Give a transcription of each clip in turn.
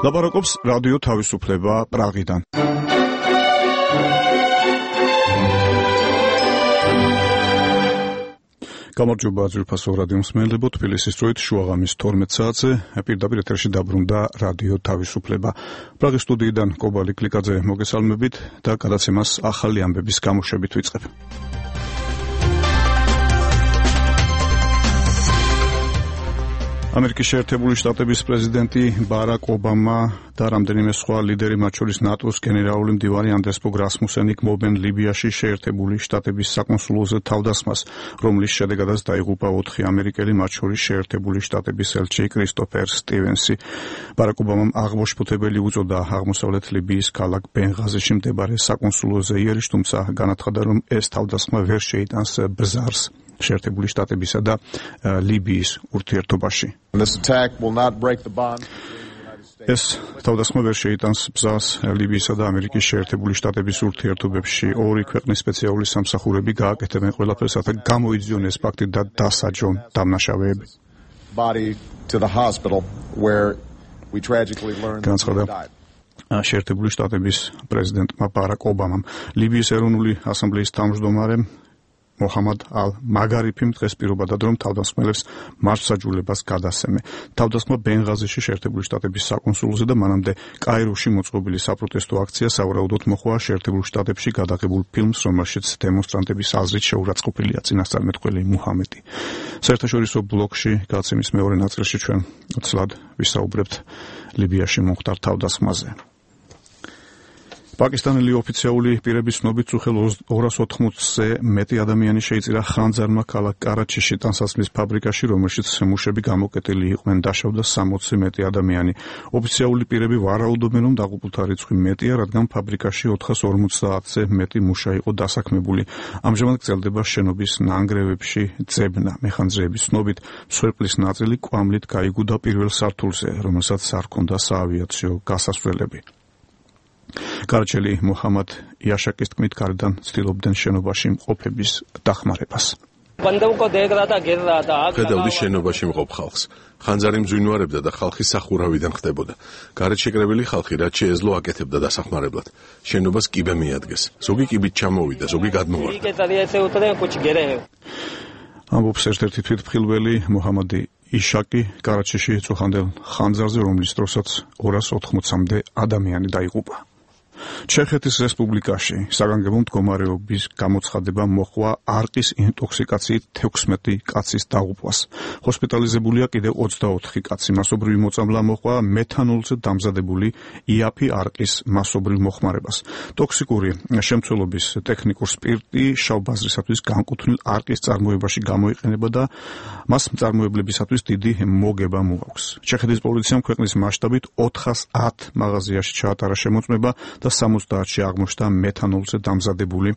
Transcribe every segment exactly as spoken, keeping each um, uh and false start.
ლაპარაკობს რადიო თავისუფლება პრაღიდან. გამარჯობა ძვირფასო რადიო მსმენელებო, თბილისის დროით შუაღამის თორმეტ საათზე პირდაპირ ეთერში დაბრუნდა რადიო თავისუფლება. პრაღის სტუდიიდან კობალი კლიკაძე მოგესალმებით და გადაცემას ახალი ამბების გამოშვებით ვიწყებ. ამერიკის შეერთებული შტატების პრეზიდენტი ბარაკ ობამა და რამდენიმე სხვა ლიდერი, მათ შორის ნატოს გენერალური მდივანი ანდრეს ფოგ რასმუსენი გმობენ ლიბიაში შეერთებული შტატების საკონსულოზე თავდასხმას, რომლის შედეგადაც დაიღუპა ოთხი ამერიკელი, მათ შორის შეერთებული შტატების ელჩი კრისტოფერ სტივენსი. ბარაკ ობამამ აღმოშფოთებელი უწოდა აღმოსავლეთ ლიბიის ქალაქ ბენღაზიში მდებარე საკონსულოზე იერიში, თუმცა განაცხადა, რომ ეს თავდასხმა ვერ შეიტანს ბზარს შეერთებული შტატებისა და ლიბიის ურთიერთობაში. ეს თავდასხმა ვერ შეიტანს ბზარს ლიბიისა და ამერიკის შეერთებული შტატების ურთიერთობებში. ორი ქვეყნის სპეციალური სამსახურები გააკეთებენ ყველაფერს, რათა გამოიძიონ ეს ფაქტი და დასაჯონ დამნაშავეები. განაცხადა შეერთებული შტატების პრეზიდენტმა ბარაკ ობამამ. ლიბიის ეროვნული ასამბლეის თავმჯდომარემ მოჰამად ალ-მაგარიფიმ დღეს პირობა დადო, რომ თავდასხმელებს მარცხსაჯულებას გადასცემე. თავდასხმა ბენღაზიში შეერთებული შტატების საკონსულოზე და მანამდე კაიროში მოწყობილი საპროტესტო აქცია სავარაუდოდ მოხდა შეერთებულ შტატებში გადაღებულ ფილმს, რომელშიც დემონსტრანტების აზრით შეურაცხყოფილია წინასწარმეტყველი მუჰამედი. საერთაშორისო ბლოგში გადაცემის მეორე ნაწილში ჩვენ ცლად ვისაუბრებთ ლიბიაში მომხდარ თავდასხმაზე. პაკისტანელი ოფიციალური პირების ცნობით უხელ ორას ოთხმოცზე მეტი ადამიანი შეიწირა ხანძარმა ქალაქ კარაჩიში ტანსაცმლის ფაბრიკაში, რომელშიც მუშები გამოკეტილი იყვნენ, დაშავდა სამოცზე მეტი ადამიანი. ოფიციალური პირები ვარაუდობენ, რომ დაღუპულთა რიცხვი მეტია, რადგან ფაბრიკაში ოთხას ორმოცდაათზე მეტი მუშა იყო დასაქმებული. ამჟამად გრძელდება შენობის ნანგრევებში ძებნა. მეხანძრეების ცნობით მსხვერპლის ნაწილი კვამლით გაიგუდა პირველ სართულზე, რომელსაც არ ჰქონდა საავიაციო გასასვლელები. კარაჩელი მუჰამად იაშაკის თქმით, გარედან ცდილობდნენ შენობაში მყოფების დახმარებას. ხედავდი შენობაში მყოფ ხალხს. ხანძარი მძვინვარებდა და ხალხი სახურავიდან ხდებოდა. გარეთ შეკრებილი ხალხი რაც შეეძლო აკეთებდა დასახმარებლად. შენობას კიბე მიადგეს. ზოგი კიბით ჩამოვიდა, ზოგი გადმოვარდა. ამბობს ერთ-ერთი თვითმხილველი მუჰამადი იშაკი კარაჩიში წუხანდელ ხანძარზე, რომლის დროსაც ორას ოთხმოცამდე ადამიანი დაიღუპა. ჩეხეთის რესპუბლიკაში საგანგებო მდგომარეობის გამოცხადება მოჰყვა არყის ინტოქსიკაციით თექვსმეტი კაცის დაღუპვას. ჰოსპიტალიზებულია კიდევ ოცდაოთხი კაცი. მასობრივი მოწამვლა მოჰყვა მეთანოლზე დამზადებული იაფი არყის მასობრივ მოხმარებას. ტოქსიკური შემცველობის ტექნიკურ სპირტი შავბაზრისათვის განკუთვნილ არყის წარმოებაში გამოიყენება და მას მწარმოებლებისათვის დიდი მოგება მოაქვს. ჩეხეთის პოლიციამ ქვეყნის მასშტაბით ოთხას ათ მაღაზიაში ჩაატარა შემოწმება და სამოცდაათში აღმოჩნდა მეთანოლზე დამზადებული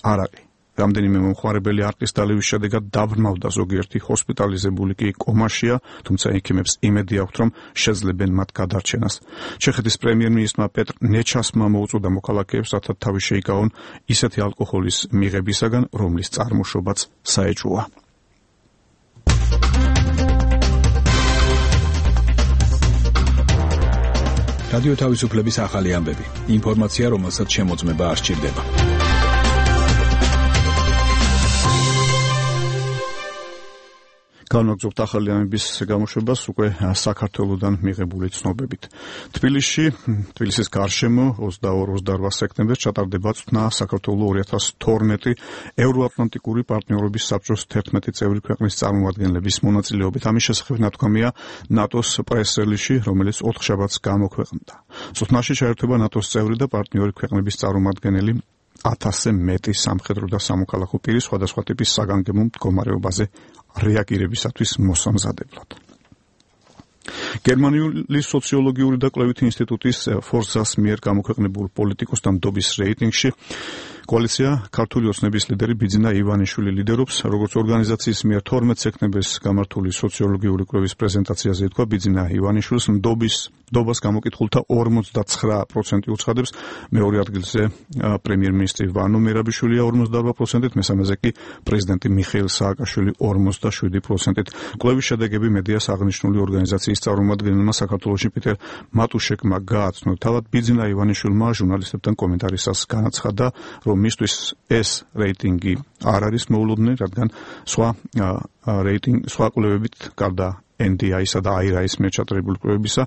არაყი. რამდენიმე მომხმარებელი არყის დალევის შედეგად დაბრმავდა, ზოგიერთი ჰოსპიტალიზებული კი კომაშია, თუმცა ექიმებს იმედი აქვთ, რომ შეძლებენ მათ გადარჩენას. ჩეხეთის პრემიერ-მინისტრმა პეტრ ნეჩასმა მოუწოდა მოქალაქეებს, რათა თავი შეიკავონ ისეთი ალკოჰოლის მიღებისაგან, რომლის წარმოშობაც საეჭვოა. რადიო თავისუფლების ახალი ამბები. ინფორმაცია, რომელსაც შემოწმება არ სჭირდება. განვაგრძობთ ახალი ამბების გამოშვებას უკვე საქართველოსდან მიღებული ცნობებით. თბილისში, თბილისის გარშემო ოცდაორი ოცდაორვა სექტემბერს ჩატარდება წვნა საქართველოს ორი ათას თორმეტი ევროატლანტიკური პარტნიორობის საბჭოს თერთმეტი წევრი ქვეყნის წარმომადგენლების მონაწილეობით. ამის შესახებ ნათქვამია ნატოს პრეს-რელიზში, რომელიც ოთხშაბათს გამოქვეყნდა. წვნაში ჩაერთვება ნატოს წევრი და პარტნიორი ქვეყნების წარმომადგენელი ათასზე მეტი სამხედრო და სამოქალაქო პირი სხვადასხვა ტიპის საგანგებო მდგომარეობაზე რეაგირებისათვის მოსამზადებლად. გერმანიული სოციოლოგიური და კვლევითი ინსტიტუტის ფორსას მიერ გამოქვეყნებულ პოლიტიკოსთა ნდობის რეიტინგში კოალიცია ქართული ოცნების ლიდერი ბიძინა ივანიშვილი ლიდერობს, როგორც ორგანიზაციის მიერ თორმეტ სექტემბერს გამართული სოციოლოგიური კვლევის პრეზენტაციაზე ითქვა, ბიძინა ივანიშვილს ნდობის ნდობას გამოკითხულთა ორმოცდაცხრა პროცენტი უცხადებს, მეორე ადგილზე პრემიერ-მინისტრი ვანო მერაბიშვილია ორმოცდაარბა პროცენტით, მესამეზე კი პრეზიდენტი მიხეილ სააკაშვილი ორმოცდაშვიდი პროცენტით. კვლევის შედეგები მედიას აღნიშნული ორგანიზაციის წარმომადგენელმა საქართველოში პიტერ მატუშეკმა გააცნო. თავად ბიძინა ივანიშვილმა ჟურნალისტებთან კომენტარისას განაცხადა, რომ მისთვის ეს რეიტინგი არ არის მოულოდნელი, რადგან სხვა რეიტინგ სხვა კვლევებით გარდა ენ დი აის-ისა და აი არ-ის მიერ ჩატარებული კვლევებისა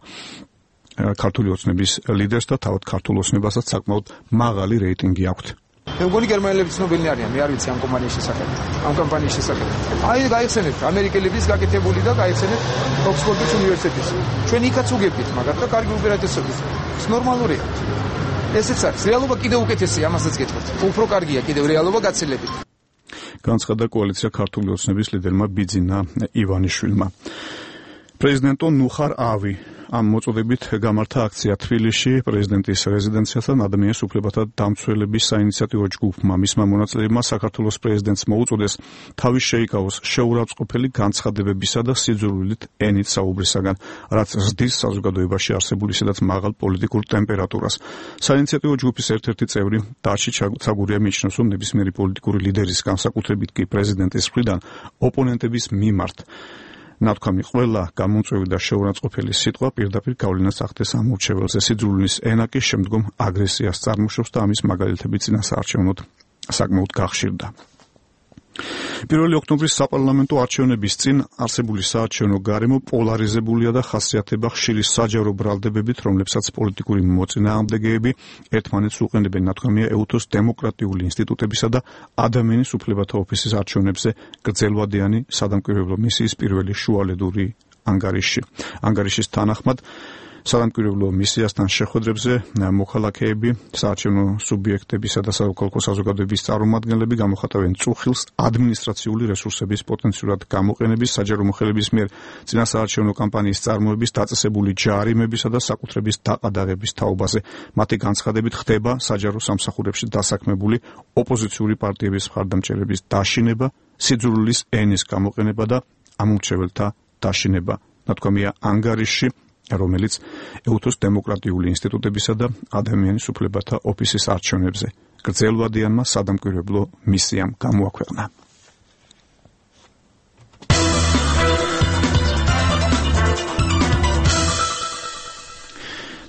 ქართული ოცნების ლიდერს და თავად ქართულ ოცნებასაც საკმაოდ მაღალი რეიტინგი აქვთ. მე მგონი გერმანელები ცნობილნი არიან, მე არ ვიცი ამ კომპანიის შესახებ, ამ კომპანიის შესახებ. აი გაიხსენებთ ამერიკელების გაკეთებული და გაიხსენებთ ოქსფორდის უნივერსიტეტის. ჩვენ იქაც უგებთ, მაგრამ და კარგი უპირატესობით. ეს ნორმალურია. ესეც არის. რეალობა კიდევ უკეთესია, ამასაც გეტყვით. უფრო კარგია კიდევ რეალობა გაცილებით. განცხადა კოალიცია ქართული ოცნების ლიდერმა ბიძინა ივანიშვილმა. პრეზიდენტო ნუხარ ავი ამ მოწოდებით გამართა აქცია თბილისში პრეზიდენტის რეზიდენციასთან ადამიანის უფლებათა დამცველების საინიციატივო ჯგუფმა. მისმა მონაწილეებმა საქართველოს პრეზიდენტს მოუწოდეს თავის შეიკავოს შეურაცხყოფელი განცხადებებისა და სიძულვილით ენით საუბრისაგან, რაც ზრდის საზოგადოებაში არსებული ისედაც მაღალ პოლიტიკურ ტემპერატურას. საინიციატივო ჯგუფის ერთ-ერთი წევრი დაში ცაგურია მიიჩნევს, რომ ნებისმიერი პოლიტიკური ლიდერის, განსაკუთრებით კი პრეზიდენტის მხრიდან ოპონენტების მიმართ ნათქვამი ყველა გამომწვევი და შეურაცხყოფელი სიტყვა პირდაპირ გავლენას ახდენს ამ მორჩეველზე. სიძულვილის ენა კი შემდგომ აგრესიას წარმოშობს და ამის მაგალითები წინასაარჩევნოდ საკმაოდ გახშირდა. პირველი ოქტომბრის საპარლამენტო არჩევნების წინ არსებული საარჩევნო გარემო პოლარიზებულია და ხასიათდება ხშირი საჯარო ბრალდებებით, რომლებსაც პოლიტიკური მოწინააღმდეგეები ერთმანეთს უყენებენ. ნათქვამია ეუთოს დემოკრატიული ინსტიტუტებისა და ადამიანის უფლებათა ოფისის არჩევნებზე გრძელვადიანი სადამკვირვებლო მისიის პირველი შუალედური ანგარიში. ანგარიშის თანახმად სადამკვირვებლო მისიასთან შეხვედრებზე მოქალაქეები, საარჩევნო სუბიექტებისა და საქალაქო საზოგადოების წარმომადგენლები გამოხატავენ წუხილს ადმინისტრაციული რესურსების პოტენციურად გამოყენების, საჯარო მოხელების მიერ წინასაარჩევნო კამპანიის წარმოების, დაწესებული ჯარიმებისა და საკუთრების დაყადაღების თაობაზე. მათი განცხადებით ხდება საჯარო სამსახურებში დასაქმებული ოპოზიციური პარტიების მხარდამჭერების დაშინება, სიძულვილის ენის გამოყენება და ამომრჩეველთა დაშინება. ნათქვამია ანგარიშში, რომელიც ეუთოს დემოკრატიული ინსტიტუტებისა და ადამიანის უფლებათა ოფისის არჩევნებზე გრძელვადიანმა სადამკვირვებლო მისიამ გამოაქვეყნა.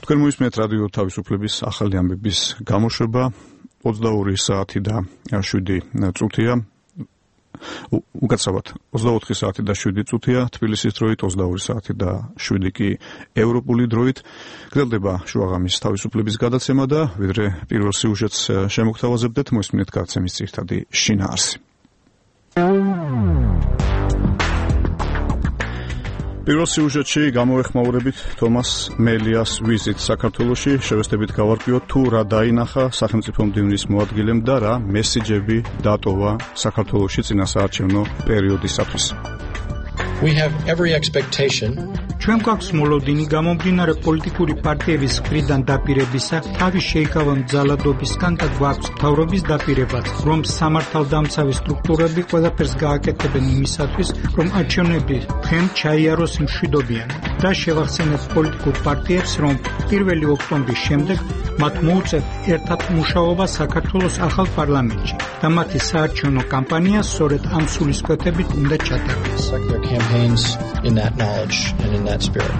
თქვენ მოისმენთ რადიო თავისუფლების ახალი ამბების გამოშვება. ოცდაორი საათი და შვიდი წუთია. უკაცრავად ოცდაოთხი საათი და შვიდი წუთია თბილისის დროით, ოცდაორი საათი და შვიდი კი ევროპული დროით. გრძელდება შუაღამის თავისუფლების გადაცემა და ვიდრე პირველ სიუჟეტს შემოგთავაზებდეთ, მოისმინეთ გადაცემის ძირითადი შინაარსი. პირველ სიუჟეტში გამოვეხმაურებით თომას მელიას ვიზიტ საქართველოში. შევესწრებით გავარკვიოთ თუ რა დაინახა სახელმწიფო მდივნის მოადგილემ და რა მესიჯები დატოვა საქართველოში წინასაარჩევნო პერიოდისათვის. We have every expectation. ჩვენ გვაქვს მოლოდინი გამომდინარე პოლიტიკური პარტიების მხრიდან დაპირებისა, თავის შეიკავონ ძალადობისგან და გვაქვს მთავრობის დაპირებაც, რომ სამართალდამცავი სტრუქტურები ყველაფერს გააკეთებენ იმისათვის, რომ არჩევნები თქვენ ჩაიაროს მშვიდობიანი და შევახსენებთ პოლიტიკურ პარტიებს, რომ პირველი ოქტომბრის შემდეგ მათ მოუწევთ ერთად მუშაობა საქართველოს ახალ პარლამენტში და მათი საარჩევნო კამპანია სწორედ ამ სულისკვეთებით უნდა ჩატარდეს. In that knowledge and in that spirit.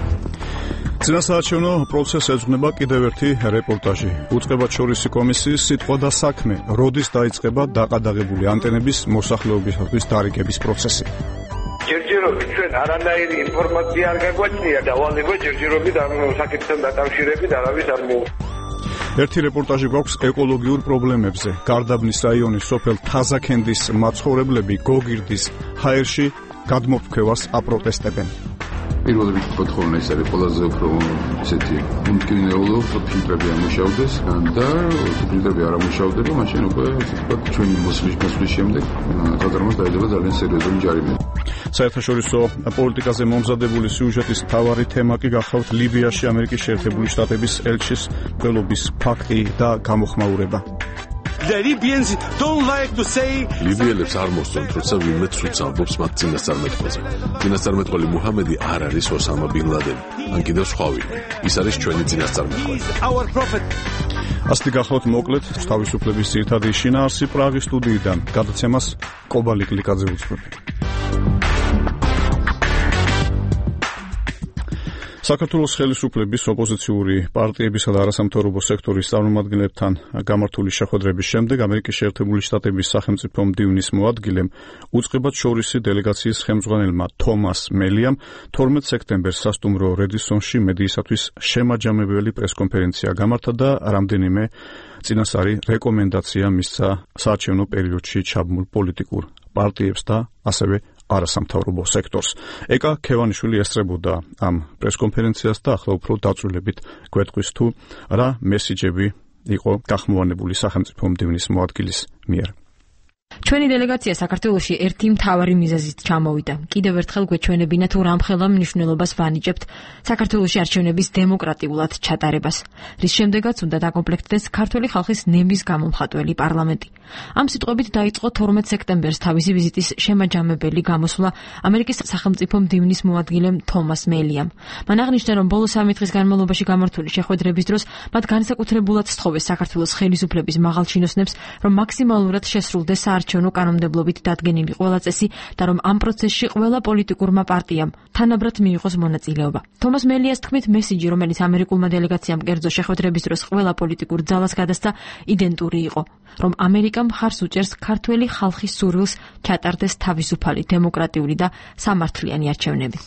წინასაარჩევნო პროცესს ეძღვნება კიდევ ერთი რეპორტაჟი. უწყებაჩორისი კომისიის სიტყვა და საქმე. როდის დაიწყება დაყადაღებული ანტენების მოსახლეობისათვის დარიგების პროცესი? ჯერჯერობით ჩვენ არანაირი ინფორმაცია არ გაგვაჩნია და ვალება ჯერჯერობით ამ საკითხთან დაკავშირებით არავის არ მოუწევს. ერთი რეპორტაჟი გვაქვს ეკოლოგიურ პრობლემებზე. გარდაბნის რაიონის სოფელ თაზაქენდის მაცხოვრებლები გოგირდის ჰაერში გადმოფრქვევას აპროტესტებენ. პირველი რიგით ხოლმე ეს არის ყველაზე უფრო ისეთი უმკინეულო ფილტრები ამუშავდეს და ფილტრები არ ამუშავდება, მაშინ უკვე ესე ვთქვათ ჩვენი მოსვლის მოსვლის შემდეგ საზარმოს დაედება ძალიან სერიოზული ჯარიმები. საერთაშორისო პოლიტიკაზე მომზადებული სიუჟეტის მთავარი თემა კი გახლავთ ლიბიაში ამერიკის შეერთებული შტატების ელჩის მკვლობის ფაქტი და გამოხმაურება. The Libyans don't like to say ლიბიელებს არ მოსწონთ, როცა ვინმე ცუდს ამბობს მათ წინასწარმეტყველზე. წინასწარმეტყველი მუჰამედი არ არის ოსამა ბინ ლადენი, ან კიდევ სხვა ვინმე. ის არის ჩვენი წინასწარმეტყველი. our prophet. ასეთი გახლავთ მოკლედ თავისუფლების ძირითადი შინაარსი პრაღის სტუდიიდან. გადაცემას კობალი კლიკაძე უძღვები. საქართველოს ხელისუფლების ოპოზიციური პარტიებისა და არასამთავრობო სექტორის წარმომადგენლებთან გამართული შეხვედრების შემდეგ ამერიკის შეერთებული შტატების სახელმწიფო მდივნის მოადგილემ უწყებად შორისი დელეგაციის ხელმძღვანელმა თომას მელიამ თორმეტ სექტემბერს სასტუმრო რედისონში მედიისათვის შემაჯამებელი პრესკონფერენცია გამართა და რამდენიმე წინასწარი რეკომენდაცია მისცა საარჩევნო პერიოდში ჩაბმულ პოლიტიკურ პარტიებს და ასევე არასამთავრობო სექტორს. ეკა ქევანიშვილი ესწრებოდა ამ პრესკონფერენციას და ახლა უფრო დაწვრილებით გვეტყვის თუ რა მესიჯები იყო გახმოვანებული სახელმწიფო მდივნის მოადგილის მიერ. ჩვენი დელეგაცია საქართველოში ერთი მთავარი მიზეზით ჩამოვიდა. კიდევ ერთხელ გვეჩვენებინა თუ რამხელა მნიშვნელობას ვანიჭებთ საქართველოში არჩევნების დემოკრატიულად ჩატარებას, რის შემდეგაც უნდა დაკომპლექტდეს ქართული ხალხის ნემის გამომხატველი პარლამენტი. ამ სიტყვებით დაიწყო თორმეტ სექტემბერს თავისი ვიზიტის შემაჯამებელი გამოსვლა ამერიკის სახელმწიფო მდივნის მოადგილემ თომას მელიამ. მან აღნიშნა, რომ ბოლო სამი დღის განმავლობაში გამართული შეხვედრების დროს მათ განსაკუთრებულად სთხოვეს საქართველოს ხელისუფლების მაღალჩინოსნებს, რომ მაქსიმალურად შესრულდეს საარჩევნო კანონმდებლობით დადგენილი ყველა წესი და რომ ამ პროცესში ყველა პოლიტიკურმა პარტიამ თანაბრად მიიღოს მონაწილეობა. თომას მელიას თქმით, მესიჯი, რომელიც ამერიკულმა დელეგაციამ კერძო შეხვედრების დროს ყველა პოლიტიკურ ძალას გადასცა, იდენტური იყო, რომ ამერიკა მხარს უჭერს ქართველი ხალხის სურვილს ჩატარდეს თავისუფალი, დემოკრატიული და სამართლიანი არჩევნები.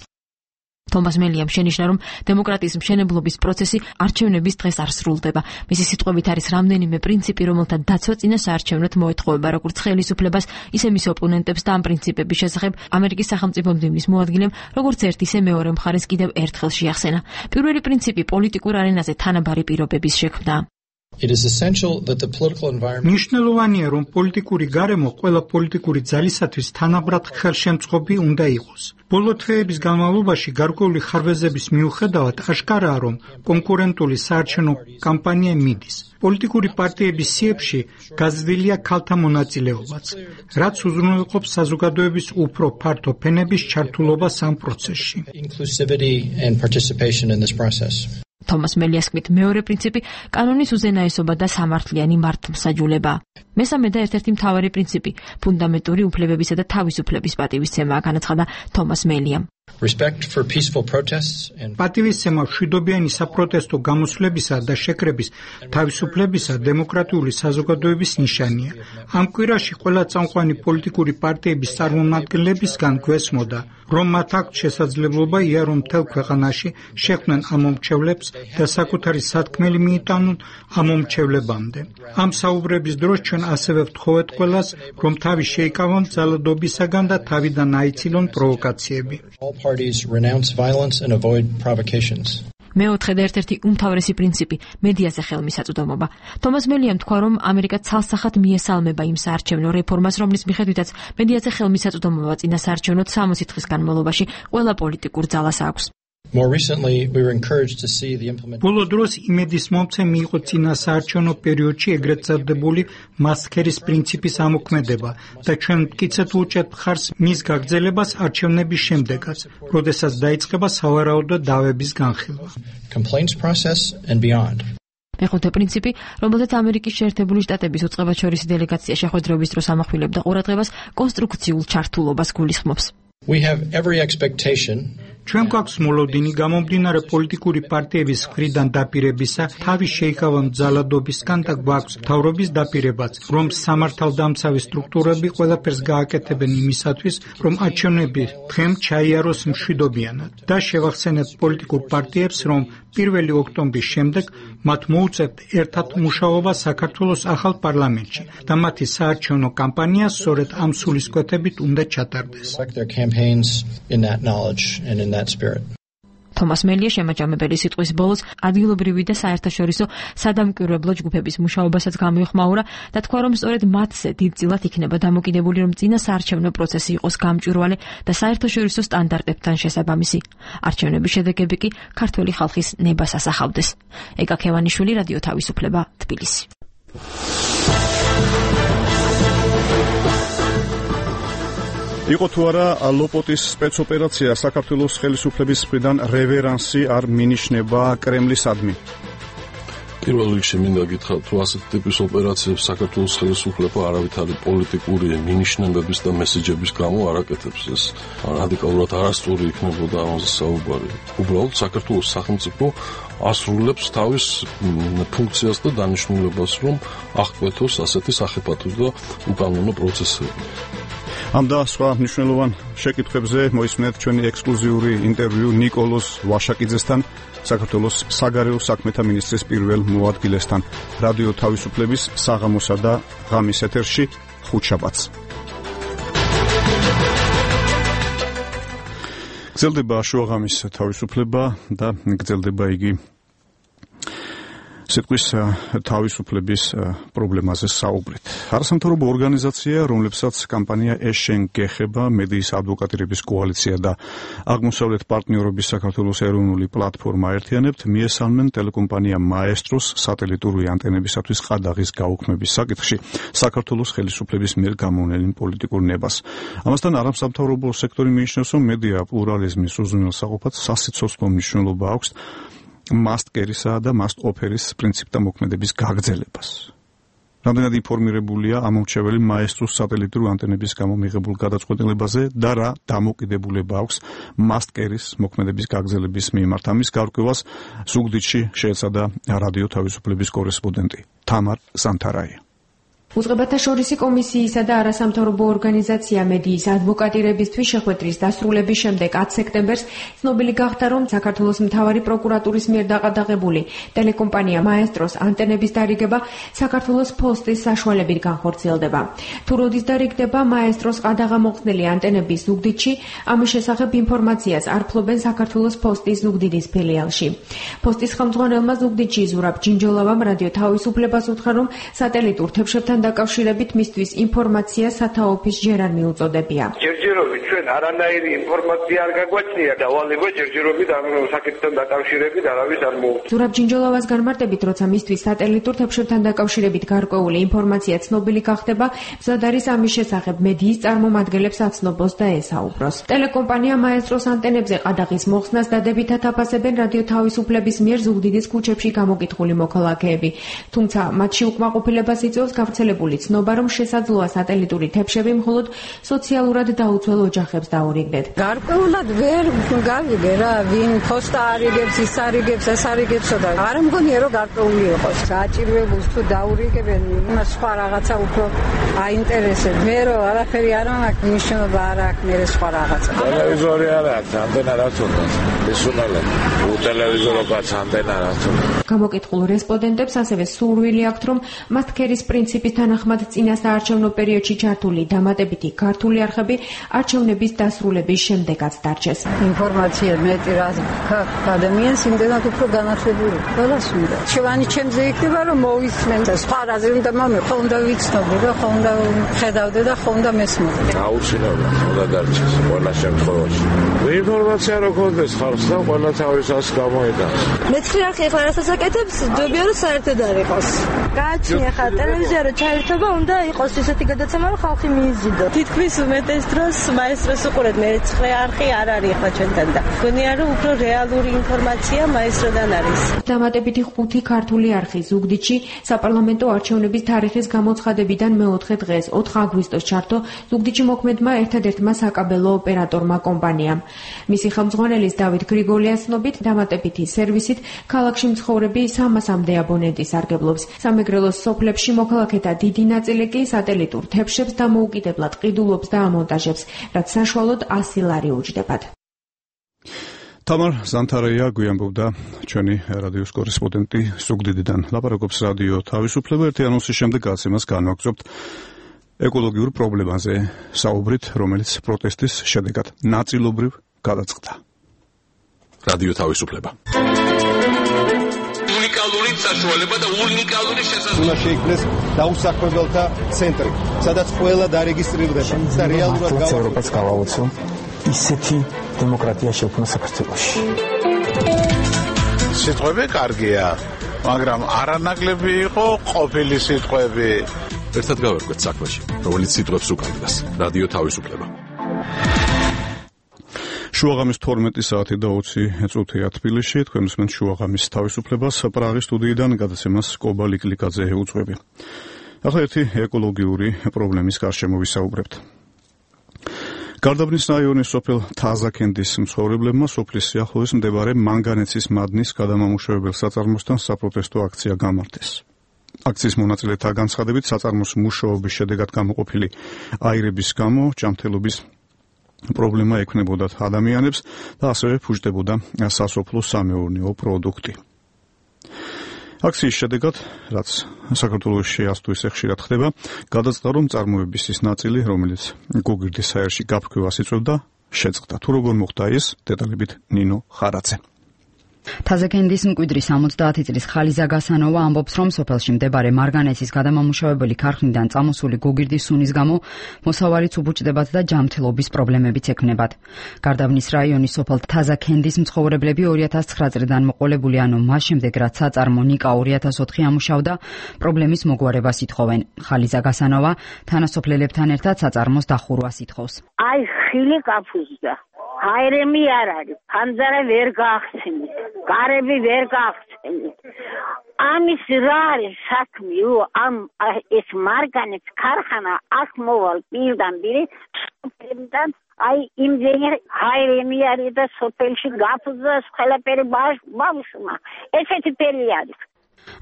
თომას მელიამ შენიშნა, რომ დემოკრატიის მშენებლობის პროცესი არჩევნების დღეს არ სრულდება. მისი სიტყვებით არის რამდენიმე პრინციპი, რომელთა დაცვა წინა საარჩევნოდ მოეთხოვება როგორც ხელისუფლებას, ისე მის ოპონენტებს და ამ პრინციპების შესახებ ამერიკის სახელმწიფო მდივნის მოადგილემ როგორც ერთ ისე მეორე მხარეს კიდევ ერთხელ შეახსენა. პირველი პრინციპი პოლიტიკურ არენაზე თანაბარი პირობების შექმნა. It is essential that the political environment მნიშვნელოვანია, რომ პოლიტიკური გარემო ყველა პოლიტიკური ძალისათვის თანაბრად ხელშემწყობი უნდა იყოს. ბოლო თვეების განმავლობაში გარკვეული ხარვეზების მიუხედავად აშკარაა, რომ კონკურენტული საარჩევნო კამპანია მიდის. პოლიტიკური პარტიების სიებში გაზრდილია ქალთა მონაწილეობაც, რაც უზრუნველყოფს საზოგადოების უფრო ფართო ფენების ჩართულობას ამ პროცესში. inclusivity and participation in this process. თომას მელიას თქმით, მეორე პრინციპი კანონის უზენაესობა და სამართლიანი მართლმსაჯულება. მესამე და ერთ-ერთი მთავარი პრინციპი ფუნდამენტური უფლებებისა და თავისუფლების პატივისცემაა, განაცხადა თომას მელიამ. Respect for peaceful protests and პატივისცემა მშვიდობიანი საპროტესტო გამოსვლებისა და შეკრების თავისუფლებისა დემოკრატიული საზოგადოების ნიშანია. ამ კვირაში ყველა წამყვანი პოლიტიკური პარტიების წარმომადგენლებისგან გვესმოდა, რომ მათ აქვთ შესაძლებლობა იარო მთელ ქვეყანაში შექმნან ამომრჩევლებს და საკუთარი სათქმელი მიიტანონ ამომრჩევლებამდე. ამ საუბრების დროს ჩვენ ასევე ვთხოვეთ ყველას, რომ თავი შეიკავონ ძალადობისაგან და თავიდან აიცილონ პროვოკაციები. all parties renounce violence and avoid provocations. მეოთხე და ერთ-ერთი უმთავრესი პრინციპი მედიაზე ხელმისაწვდომობა. თომას მელიამ თქვა, რომ ამერიკა ცალსახად მიესალმება იმ საარჩევნო რეფორმას, რომლის მიხედვითაც მედიაზე ხელმისაწვდომობა წინა საარჩევნო სამოცი დღის განმავლობაში ყველა პოლიტიკურ ძალას აქვს. More recently, we were encouraged to see the implementation ბოლო დროს იმედის მომცემი იყო წინა საარჩევნო პერიოდში ეგრეთ წოდებული მასქერის პრინციპის ამოქმედება და ჩვენ მტკიცედ ვუჭერთ მხარს მის გაგრძელებას არჩევნების შემდეგაც, როდესაც დაიწყება სავარაუდო დავების განხილვა. complaints process and beyond. მეხუთე პრინციპი, რომელზეც ამერიკის შეერთებული შტატების უწყებაჩორისი დელეგაცია შეხვედრების დროს ამახვილებდა ყურადღებას, კონსტრუქციულ ჩართულობას გულისხმობს. We have every expectation ჩვენ გვაქვს მოლოდინი გამომდინარე პოლიტიკური პარტიების მხრიდან დაპირებისა, თავის შეიკავონ ძალადობისგან და გვაქვს მთავრობის დაპირებაც, რომ სამართალდამცავი სტრუქტურები ყველაფერს გააკეთებენ იმისათვის, რომ არჩევნები დღემ ჩაიაროს მშვიდობიანად და შევახსენებთ პოლიტიკურ პარტიებს, რომ პირველი ოქტომბრის შემდეგ მათ მოუწევთ ერთად მუშაობა საქართველოს ახალ პარლამენტში და მათი საარჩევნო კამპანია სწორედ ამ სულისკვეთებით უნდა ჩატარდეს. in that knowledge and in that spirit. თომას მელია შემაჯამებელი სიტყვის ბოლოს ადგილობრივი და საერთაშორისო სადამკვირვებლო ჯგუფების მუშაობასაც გამოიხმაურა და თქვა, რომ სწორედ მათზე დიდწილად იქნება დამოკიდებული, რომ წინა საარჩევნო პროცესი იყოს გამჭვირვალე და საერთაშორისო სტანდარტებთან შესაბამისი. არჩევნების შედეგები კი ქართველი ხალხის ნებას ასახავდეს. ეკა ქევანიშვილი, რადიო თავისუფლება, თბილისი. იყო თუ არა ლოპოტის სპეცოპერაცია საქართველოს ხელისუფლების მხრიდან რევერანსი არ მინიშნება კრემლისადმი. პირველ რიგში მინდა გითხრათ, თუ ასეთ ტიპის ოპერაციებს საქართველოს ხელისუფლება არავითარი პოლიტიკური მინიშნებების და მესეჯების გამო არ აკეთებს. ეს რადიკალურად არასწორი იქნებოდა ამაზე საუბარი. უბრალოდ საქართველოს სახელმწიფო ასრულებს თავის ფუნქციას და დანიშნულებას, რომ აღკვეთოს ასეთი სახიფათო და უკანონო პროცესები. ამ და სხვა მნიშვნელოვან შეკითხვებზე მოისმენთ ჩვენი ექსკლუზიური ინტერვიუ ნიკოლოზ ვაშაკიძესთან, საქართველოს საგარეო საქმეთა მინისტრის პირველ მოადგილესთან, რადიო თავისუფლების საღამოსა და ღამის ეთერში ხუთშაბათს. გრძელდება შუაღამის თავისუფლება და გრძელდება იგი სიტყვის თავისუფლების პრობლემაზე საუბრით. არასამთავრობო ორგანიზაცია, რომლებსაც კამპანია ეშენ გეხება, მედიის ადვოკატირების კოალიცია და აღმოსავლეთ პარტნიორობის საქართველოს ეროვნული პლატფორმა აერთიანებთ, მიესალმნენ ტელეკომპანია მაესტროს სატელიტური ანტენებისათვის ყადაღის გაუქმების საკითხში საქართველოს ხელისუფლების მიერ გამოვლენილ პოლიტიკურ ნებას. ამასთან არასამთავრობო სექტორი მიიჩნევს, რომ მედია პლურალიზმის უზრუნველსაყოფად სასიცოცხლო მნიშვნელობა აქვს მასტკერისა და მასტ-ოფერის პრინციპთა მოქმედების გაგრძელებას. რამდენად ინფორმირებულია ამომრჩეველი მაესტროს სატელიტური ანტენების გამო მიღებულ გადაწყვეტილებაზე და რა დამოკიდებულება აქვს მასტკერის მოქმედების გაგრძელების მიმართ. ამის გარკვევას ზუგდიდში შეეცადა რადიო თავისუფლების კორესპონდენტი თამარ ზანთარაია. უწყებათაშორისი კომისიისა და არასამთავრობო ორგანიზაცია მედიის ადვოკატირებისთვის შეხვედრის დასრულების შემდეგ ათი სექტემბერს ცნობილი გახდა, რომ საქართველოს მთავარი პროკურატურის მიერ დაყადაღებული ტელეკომპანია მაესტროს ანტენების დარიგება საქართველოს ფოსტის საშუალებით განხორციელდება. თუ როდის დარიგდება მაესტროს ყადაღამოხსნელი ანტენების ზუგდიდში, ამის შესახებ ინფორმაციას არ ფლობენ საქართველოს ფოსტის ზუგდიდის ფილიალში. ფოსტის ხელმძღვანელმა ზუგდიდში ზურაბ ჯინჯოლავამ რადიო თავისუფლებას უთხრა, რომ სატელიტურ თებშებთან დაკავშირებით მისთვის ინფორმაცია სათაოფის ჯერ არ მიუწოდებია. ჯერჯერობით ჩვენ არანაირი ინფორმაცია არ გაგვაჩნია და ვალება ჯერჯერობით ამ საკითხთან დაკავშირებით არავის არ მოუწოდა. ზურაბ ჯინჯოლავას განმარტებით, როცა მისთვის სატელიტურ თებშებთან დაკავშირებით გარკვეული ინფორმაცია ცნობილი გახდება, მზად არის ამის შესახებ მედიის წარმომადგენლებს აცნობოს და ესაუბროს. ტელეკომპანია მაესტროს ანტენებზე ყადაღის მოხსნას დადებითად აფასებენ რადიო თავისუფლების მიერ ზუგდიდის ქუჩებში გამოკითხული მოქალაქეები. თუმცა მათში უკმაყოფილებას იწვევს გავრცელებული ცნობა, რომ შესაძლოა სატელიტური თებშები მხოლოდ სოციალურად დაუცველ ოჯახებს დაურიგდეთ. გარკვეულად ვერ გავიგე რა, ვინ ფოსტა არიგებს, ის არიგებს, ეს არიგებსო და არ მგონია რომ გარკვეული იყოს. საჭიროებულს თუ დაურიგებენ, იმას სხვა რაღაცა უფრო აინტერესებს. მე რომ არაფერი არ მაქვს, მნიშვნელობა არ აქვს მე სხვა რაღაცა. ტელევიზორი არ აქვს, ანტენა რაც უნდა. ეს უნდა უტელევიზორო კაც ანტენა რაც უნდა. გამოკითხულ რესპონდენტებს ასევე სურვილი აქვთ, რომ მასტკერის პრინციპის თანახმად წინა საარჩევნო პერიოდში ჩართული დამატებითი ქართული არხები არჩევნების დასრულების შემდეგაც დარჩეს. ინფორმაცია მეტი რა ადამიანს იმდენად უფრო განათლებული ყველას უნდა. შევანი ჩემზე იქნება რომ მოვისმენ და სხვა რაზე უნდა მომე ხო უნდა ვიცნობი და ხო უნდა ხედავდე და ხო უნდა მესმოდე. აუცილებლად უნდა დარჩეს ყველა შემთხვევაში. ინფორმაცია რო გქონდეს ხალხს და ყველა თავისას გამოიტანს. მეცხრე არხი ახლა რასაც აკეთებს, ჯობია რომ საერთოდ არ იყოს. გააჩნია ხა ტელევიზია რო ჩაერთობა უნდა იყოს ისეთი გადაცემა რომ ხალხი მიიზიდო. თითქმის უმეტეს დროს მაესტროს უყურეთ, მეცხრე არხი არ არის ახლა ჩვენთან და გონია რომ უფრო რეალური ინფორმაცია მაესტროდან არის. დამატებითი ხუთი ქართული არხი ზუგდიდში საპარლამენტო არჩევნების თარიღის გამოცხადებიდან მეოთხე დღეს ოთხ აგვისტოს ჩართო ზუგდიდში მოქმედმა ერთადერთმა საკაბელო ოპერატორმა კომპანიამ. მისი ხელმძღვანელის დავით გრიგოლიას ცნობით დამატებითი სერვისით ქალაქში მცხოვრები სამასამდე აბონენტი სარგებლობს. სამეგრელოს სოფლებში მოქალაქეთა დიდი ნაწილი კი სატელიტურ თებშებს დამოუკიდებლად ყიდულობს და ამონტაჟებს, რაც საშუალოდ ასი ლარი უჯდებათ. თამარ ზანთარაია გვიანბობდა ჩვენი რადიოს კორესპონდენტი ზუგდიდიდან. ლაპარაკობს რადიო თავისუფლება. ერთი ანონსის შემდეგ გაცემას განვაგრძობთ ეკოლოგიურ პრობლემაზე საუბრით, რომელიც პროტესტის შედეგად ნაწილობრივ გადაწყდა. რადიო თავისუფლება. უნიკალური საშუალება და უნიკალური შესაძლებლობა. უნდა შეიქმნეს დაუსაქმებელთა ცენტრი, სადაც ყველა დარეგისტრირდება და რეალურად ევროპას გავაოცო ისეთი დემოკრატია შექმნა საქართველოში. სიტყვები კარგია, მაგრამ არანაკლები იყო ყოფილი სიტყვები. ერთად გავერკვეთ საქმეში, რომელიც სიტყვებს უკანდგას. რადიო თავისუფლება. შუაღამის თორმეტი საათი და ოცი წუთია თბილისში, თქვენ უსმენთ შუაღამის თავისუფლებას პრაღის სტუდიიდან გადაცემას კობა ლიკლიკაძე უძღვები. ახლა ერთი ეკოლოგიური პრობლემის გარშემო ვისაუბრებთ. გარდაბნის რაიონის სოფელ თაზაკენდის მცხოვრებლებმა სოფლის სიახლოვეს მდებარე მანგანეცის მადნის გადამამუშავებელ საწარმოსთან საპროტესტო აქცია გამართეს. აქციის მონაწილეთა განცხადებით საწარმოს მუშაობის შედეგად გამოყოფილი აირების გამო ჯანმრთელობის პრობლემა ექმნებოდათ ადამიანებს და ასევე ფუჭდებოდა სასოფლო სამეურნეო პროდუქტი. აქციის შედეგად, რაც საქართველოში ას თუ ისე ხშირად ხდება, გადაწყდა, რომ წარმოების ის ნაწილი, რომელიც გოგირდის საერში გაფრქვევას იწვევდა, შეწყდა. თუ როგორ მოხდა ეს, დეტალებით ნინო ხარაძე. თაზაკენდის მკვიდრი სამოცდაათი წლის ხალიზა გასანოვა ამბობს, რომ სოფელში მდებარე მარგანეცის გადამამუშავებელი ქარხნიდან წამოსული გოგირდის სუნის გამო მოსავალიც უბუჭდებათ და ჯანმრთელობის პრობლემებიც ექმნებათ. გარდაბნის რაიონის სოფელ თაზაკენდის მცხოვრებლები ორი ათას ცხრა წლიდან მოყოლებული, ანუ მას შემდეგ, რაც საწარმო ნიკა ორი ათას ოთხი ამუშავდა, პრობლემის მოგვარებას ითხოვენ. ხალიზა გასანოვა თანასოფლელებთან ერთად საწარმოს დახურვას ითხოვს. აი ხილი კაფუზდა. აირემი არ არის, ფანძარა ვერ გაახსენეთ, გარები ვერ გაახსენეთ. ამის რა არის საქმე? ამ ეს მარგანეც ქარხანა აქ მოვალ პირდან პირი სოფელიდან, აი იმდენი აირემი არის და სოფელში გაფუძდა ყველაფერი ბავშვმა. ესეთი ფერი არის.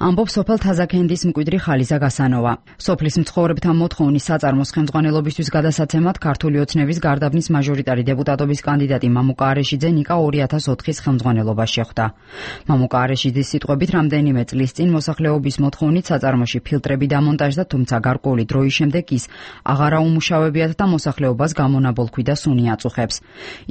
ამბობს სოფელ თაზაკენდის მკვიდრი ხალიზა გასანოვა. სოფლის მცხოვრებთა მოთხოვნის საწარმოს ხელმძღვანელობისთვის გადასაცემად ქართული ოცნების გარდაბნის მაჟორიტარი დეპუტატობის კანდიდატი მამუკა არეშიძე ნიკა ორი ათას ოთხის ხელმძღვანელობას შეხვდა. მამუკა არეშიძის სიტყვებით, რამდენიმე წლის წინ მოსახლეობის მოთხოვნით საწარმოში ფილტრები დამონტაჟდა, თუმცა გარკვეული დროის შემდეგ ის აღარ აუმუშავებიათ და მოსახლეობას გამონაბოლქვი და სუნი აწუხებს.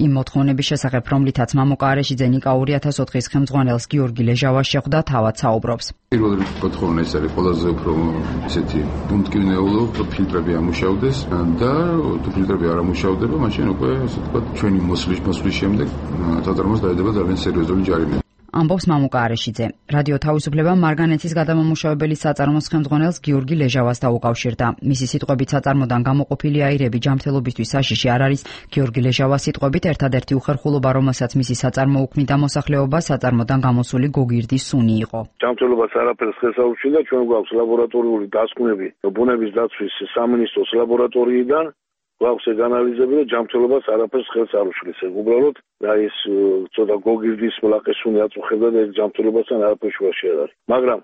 იმ მოთხოვნების შესახებ, რომლითაც მამუკა არეშიძე ნიკა ორი ათას ოთხის ხელმძღვანელს გიორგი ლეჟავას შეხვდა, თავად საუბრობს. პირველ რიგში მოთხოვნა ეს არის ყველაზე უფრო ესეთი უმტკივნეულო, ფილტრები ამუშავდეს და თუ ფილტრები არ ამუშავდება, მაშინ უკვე ასე ვთქვათ, ჩვენი მოსვლის მოსვლის შემდეგ საწარმოს დაედება ძალიან სერიოზული ჯარიმები. ამბობს მამუკა არეშიძე. რადიო თავისუფლებამ მარგანეცის გადამამუშავებელი საწარმოს ხელმძღვანელს გიორგი ლეჟავას დაუკავშირდა. მისი სიტყვებით საწარმოდან გამოყოფილი აირები ჯანმრთელობისთვის საშიში არ არის. გიორგი ლეჟავას სიტყვებით ერთადერთი უხერხულობა, რომელსაც მისი საწარმო უქმნიდა მოსახლეობას, საწარმოდან გამოსული გოგირდის სუნი იყო. ჯანმრთელობას არაფერს ხელს არ უშლიდა, ჩვენ გვაქვს ლაბორატორიული დასკვნები ბუნების დაცვის სამინისტროს ლაბორატორიიდან. გვაქვს ეგ ანალიზები და ჯანმრთელობას არაფერს ხელს არ უშლის. ეგ უბრალოდ აი ეს ცოტა გოგირდის მლაყესუნი აწუხებდა და ეგ ჯანმრთელებასთან არაფერს შუაში არ არის. მაგრამ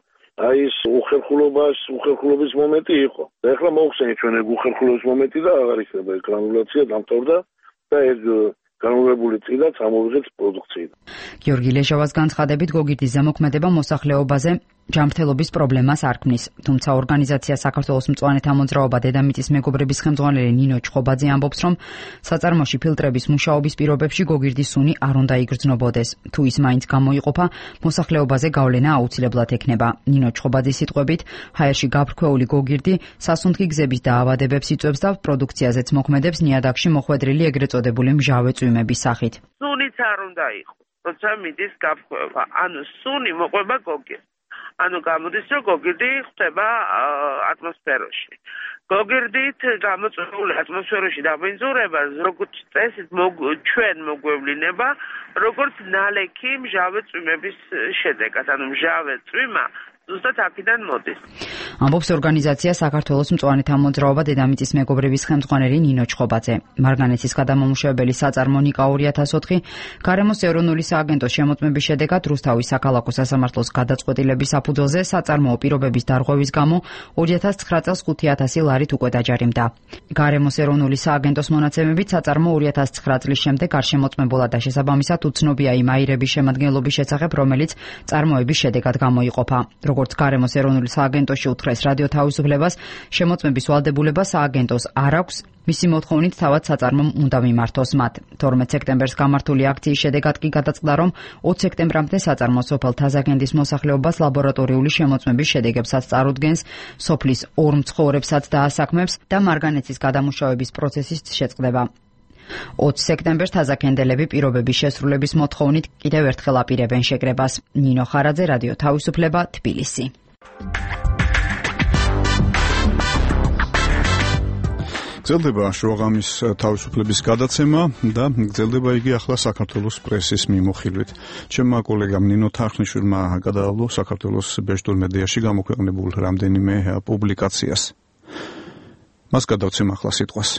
აი ეს უხერხულობას, უხერხულობის მომენტი იყო. და ეხლა მოხსენეთ ჩვენ ეგ უხერხულობის მომენტი და აღარ იქნება ეგ გრანულაცია დამთავრდა და ეგ განულებული წილა წამოვიღეთ პროდუქციიდან. გიორგი ლეჟავას განცხადებით გოგირდის ზემოქმედება მოსახლეობაზე ჯანმრთელობის პრობლემას არ ქმნის. თუმცა ორგანიზაცია საქართველოს მწვანეთა მოძრაობა დედამიწის მეგობრების ხელმძღვანელი ნინო ჩხობაძე ამბობს, რომ საწარმოში ფილტრების მუშაობის პირობებში გოგირდის სუნი არ უნდა იგრძნობოდეს. თუ ის მაინც გამოიყოფა, მოსახლეობაზე გავლენა აუცილებლად ექნება. ნინო ჩხობაძის სიტყვებით, ჰაერში გაფრქვეული გოგირდი სასუნთქი გზების დაავადებებს იწვევს და პროდუქციაზეც მოქმედებს ნიადაგში მოხვედრილი ეგრეთ წოდებული მჟავე წვიმების სახით. სუნიც არ უნდა იყოს, როცა მიდის გაფრქვევა. ანუ სუნი მოყვება გოგირდს. ანუ გამოდის, რომ გოგირდი ხდება ატმოსფეროში. გოგირდით გამოწვეული ატმოსფეროში დაბინძურება, როგორც წესით ჩვენ მოგვევლინება, როგორც ნალექი მჟავე წვიმების შედეგად. ანუ მჟავე წვიმა ზუსტად აქედან მოდის. ამბობს ორგანიზაცია საქართველოს მწვანეთა მოძრაობა დედამიწის მეგობრების ხელმძღვანელი ნინო ჩხობაძე. მარგანეცის გადამამუშავებელი საწარმო ნიკა ორი ათას ოთხი გარემოს ეროვნული სააგენტოს შემოწმების შედეგად რუსთავის საქალაქო სასამართლოს გადაწყვეტილების საფუძველზე საწარმოო პირობების დარღვევის გამო ორი ათას ცხრა წელს ხუთი ათასი ლარით უკვე დაჯარიმდა. გარემოს ეროვნული სააგენტოს მონაცემებით საწარმო ორი ათას ცხრა წლის შემდეგ არ შემოწმებულა და შესაბამისად უცნობია იმ აირების შემადგენლობის შესახებ, რომელიც წარმოების შედეგად გამოიყოფა. როგორც გარემოს ეროვნული სააგენტოში უთხრეს რადიო თავისუფლებას, შემოწმების ვალდებულება სააგენტოს არ აქვს, მისი მოთხოვნით თავად საწარმომ უნდა მიმართოს მათ. თორმეტ სექტემბერს გამართული აქციის შედეგად კი გადაწყდა, რომ ოცი სექტემბრამდე საწარმო სოფელ თაზაკენდის მოსახლეობას ლაბორატორიული შემოწმების შედეგებსაც წარუდგენს, სოფლის ორ მცხოვრებსაც დაასაქმებს და მარგანეცის გადამუშავების პროცესის შეწყდება. ოცი სექტემბერს თაზაკენდელები პირობების შესრულების მოთხოვნით კიდევ ერთხელ აპირებენ შეკრებას. ნინო ხარაძე, რადიო თავისუფლება, თბილისი. გრძელდება შუაღამის თავისუფლების გადაცემა და გრძელდება იგი ახლა საქართველოს პრესის მიმოხილვით. ჩემმა კოლეგამ ნინო თარხნიშვილმა გადაავლო საქართველოს ბეჭდურ მედიაში გამოქვეყნებულ რამდენიმე პუბლიკაციას. მას გადავცემ ახლა სიტყვას.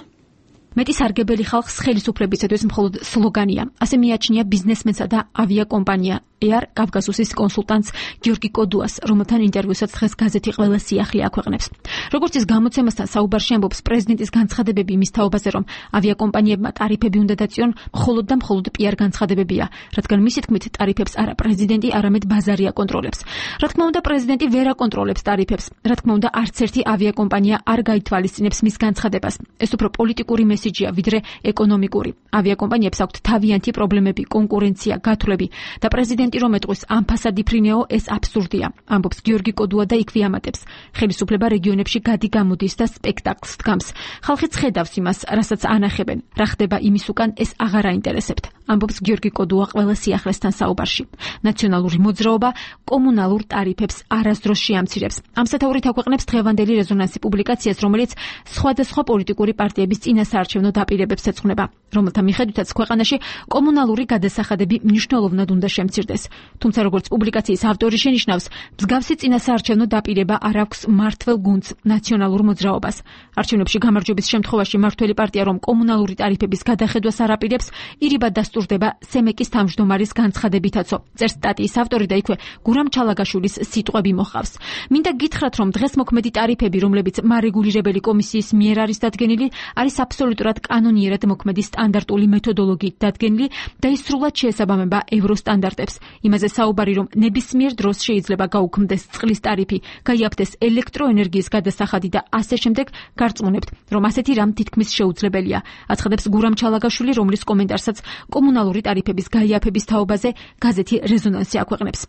მეტი სარგებელი ხალხს ხელისუფლებისათვის მხოლოდ სლოგანია. ასე მიაჩნია ბიზნესმენსა და ავიაკომპანია ეარ კავკასუსის კონსულტანტს გიორგი კოდუას, რომელთან ინტერვიუსაც დღეს გაზეთი ყველა სიახლე აქვეყნებს. როგორც ის გამოცემასთან საუბარში ამბობს, პრეზიდენტის განცხადებები იმის თაობაზე, რომ ავიაკომპანიებმა ტარიფები უნდა დაწიონ, მხოლოდ და მხოლოდ პიარ განცხადებებია, რადგან მისი თქმით ტარიფებს არა პრეზიდენტი, არამედ ბაზარი აკონტროლებს. რა თქმა უნდა, პრეზიდენტი ვერ აკონტროლებს ტარიფებს. რა თქმა უნდა, არც ერთი ავიაკომპანია არ გაითვალისწინებს მის განცხადებას. ეს უფრო პოლიტიკური მესიჯია, ვიდრე ეკონომიკური. ავიაკომპანიებს აქვთ თავიანთი პრობლემები, კონკურენცია, გათვლები და პრეზიდენტი რომ ეტყვის ამ ფასად იფრინეო, ეს აბსურდია, ამბობს გიორგი კოდუა და იქვე ამატებს. ხელისუფლება რეგიონებში გადი-გამოდის და სპექტაკლს დგამს. ხალხი ცხედავს იმას, რასაც ანახებენ. რა ხდება იმის უკან, ეს აღარ აინტერესებთ, ამბობს გიორგი კოდუა ყველა სიახლესთან საუბარში. ნაციონალური მოძრაობა კომუნალურ ტარიფებს არასდროს შეამცირებს. ამ სათაურით აქვეყნებს დღევანდელი რეზონანსი პუბლიკაციას, რომელიც სხვადასხვა პოლიტიკური პარტიების წინასაარჩევნო დაპირებებს ეძღვნება, რომელთა მიხედვითაც ქვეყანაში კომუნალური გადასახადები მნიშვნელოვნად უნდა შემცირდეს. თუმცა როგორც პუბლიკაციის ავტორი შენიშნავს, მსგავსი წინასაარჩევნო დაპირება არ აქვს მმართველ გუნდს ნაციონალურ მოძრაობას. არჩევნებში გამარჯვების შემთხვევაში მმართველი პარტია რომ კომუნალური ტარიფების გადახედვას არ აპირებს, ირიბად დასტურდება სემეკის თავმჯდომარის განცხადებითაცო. წერს სტატიის ავტორი და იქვე გურამ ჩალაგაშვილის სიტყვები მოჰყავს. მინდა გითხრათ, რომ დღეს მოქმედი ტარიფები, რომლებიც მარეგულირებელი კომისიის მიერ არის დადგენილი, არის აბსოლუტურად კანონიერად მოქმედი სტანდარტული მეთოდოლოგიით დადგენილი და ის სრულად შეესაბამება ევროსტანდარტებს. იმაზე საუბარი, რომ ნებისმიერ დროს შეიძლება გაუქმდეს წყლის ტარიფი, გაიაფთეს ელექტროენერგიის გადასახადი და ასე შემდეგ, გარწმუნებთ, რომ ასეთი რამ თითქმის შეუძლებელია. აცხადებს გურამ ჩალაგაშვილი, რომლის კომენტარსაც კომუნალური ტარიფების გაიაფების თაობაზე გაზეთი რეზონანსი აქვეყნებს.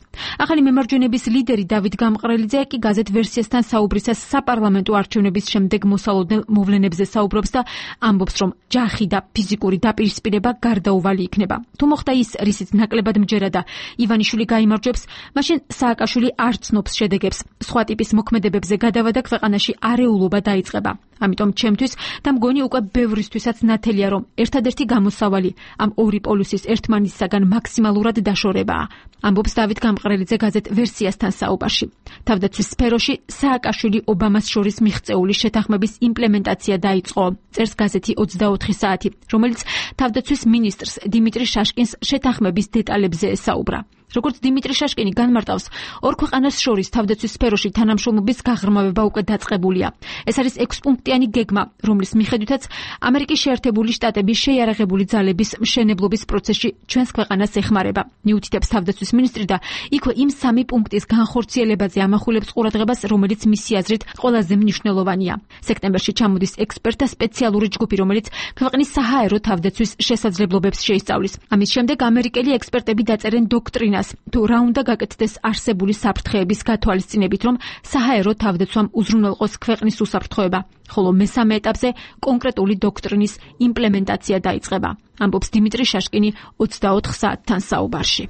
ახალი მემარჯვენების ლიდერი დავით გამყრელიძე კი გაზეთ ვერსიასთან საუბრისას საპარლამენტო არჩევნების შემდეგ მოსალოდნელ მოვლენებზე საუბრობს და ამბობს, რომ ჯახი და ფიზიკური დაპირისპირება გარდაუვალი იქნება. თუ მოხდა ის, რისიც ნაკლებად მჯერა და ივანიშვილი გაიმარჯვებს, მაშინ სააკაშვილი არ ცნობს შედეგებს. სხვა ტიპის მოქმედებებზე გადავა და ქვეყანაში არეულობა დაიწყება. ამიტომ ჩემთვის და მგონი უკვე ბევრისთვისაც ნათელია, რომ ერთადერთი გამოსავალი ამ ორი პოლუსის ერთმანეთისაგან მაქსიმალურად დაშორებაა, ამბობს დავით გამყრელიძე გაზეთ ვერსიასთან საუბარში. თავდაცვის სფეროში სააკაშვილი ობამას შორის მიღწეული შეთანხმების იმპლემენტაცია დაიწყო, წერს გაზეთი ოცდაოთხი საათი, რომელიც თავდაცვის მინისტრს დიმიტრი შაშკინს შეთანხმების დეტალებზე ესაუბრა. როგორც დიმიტრი შაშკინი განმარტავს, ორ ქვეყანას შორის თავდაცვის სფეროში თანამშრომლობის გაღრმავება უკვე დაწყებულია. ეს არის ექვსპუნქტიანი გეგმა, რომლის მიხედვითაც ამერიკის შეერთებული შტატები შეიარაღებული ძალების მშენებლობის პროცესში ჩვენს ქვეყანას ეხმარება. მიუთითებს თავდაცვის მინისტრი და იქვე იმ სამი პუნქტის განხორციელებაზე ამახვილებს ყურადღებას, რომელიც მისი აზრით ყველაზე მნიშვნელოვანია. სექტემბერში ჩამოდის ექსპერტთა სპეციალური ჯგუფი, რომელიც ქვეყნის საჰაერო თავდაცვის შესაძლებლობებს შეისწავლის. ამის შემდეგ ამერიკელი ექსპერტები დაწერენ დოქტრინას, თუ რა უნდა გაკეთდეს არსებული საფრთხეების გათვალისწინებით, რომ საჰაერო თავდაცვამ უზრუნველყოს ქვეყნის უსაფრთხოება, ხოლო მესამე ეტაპზე კონკრეტული დოქტრინის იმპლემენტაცია დაიწყება, ამბობს დიმიტრი შაშკინი ოცდაოთხ საათთან საუბარში.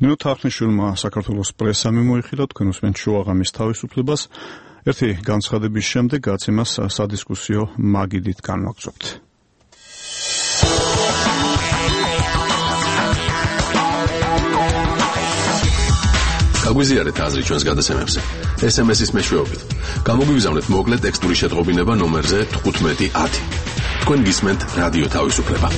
ნინო თარხნიშვილმა საქართველოს პრესა მიმოიხილა, თქვენ უსმენთ შუაღამის თავისუფლებას. ერთი განცხადების შემდეგ გაცემას სადისკუსიო მაგიდით განვაგრძობთ. გაგვიზიარეთ აზრი ჩვენს გადაცემებზე. ეს ემ ეს-ის მეშვეობით. გამოგვიგზავნეთ მოკლე ტექსტური შეტყობინება ნომერზე თხუთმეტი ათი. თქვენ გისმენთ რადიო თავისუფლება.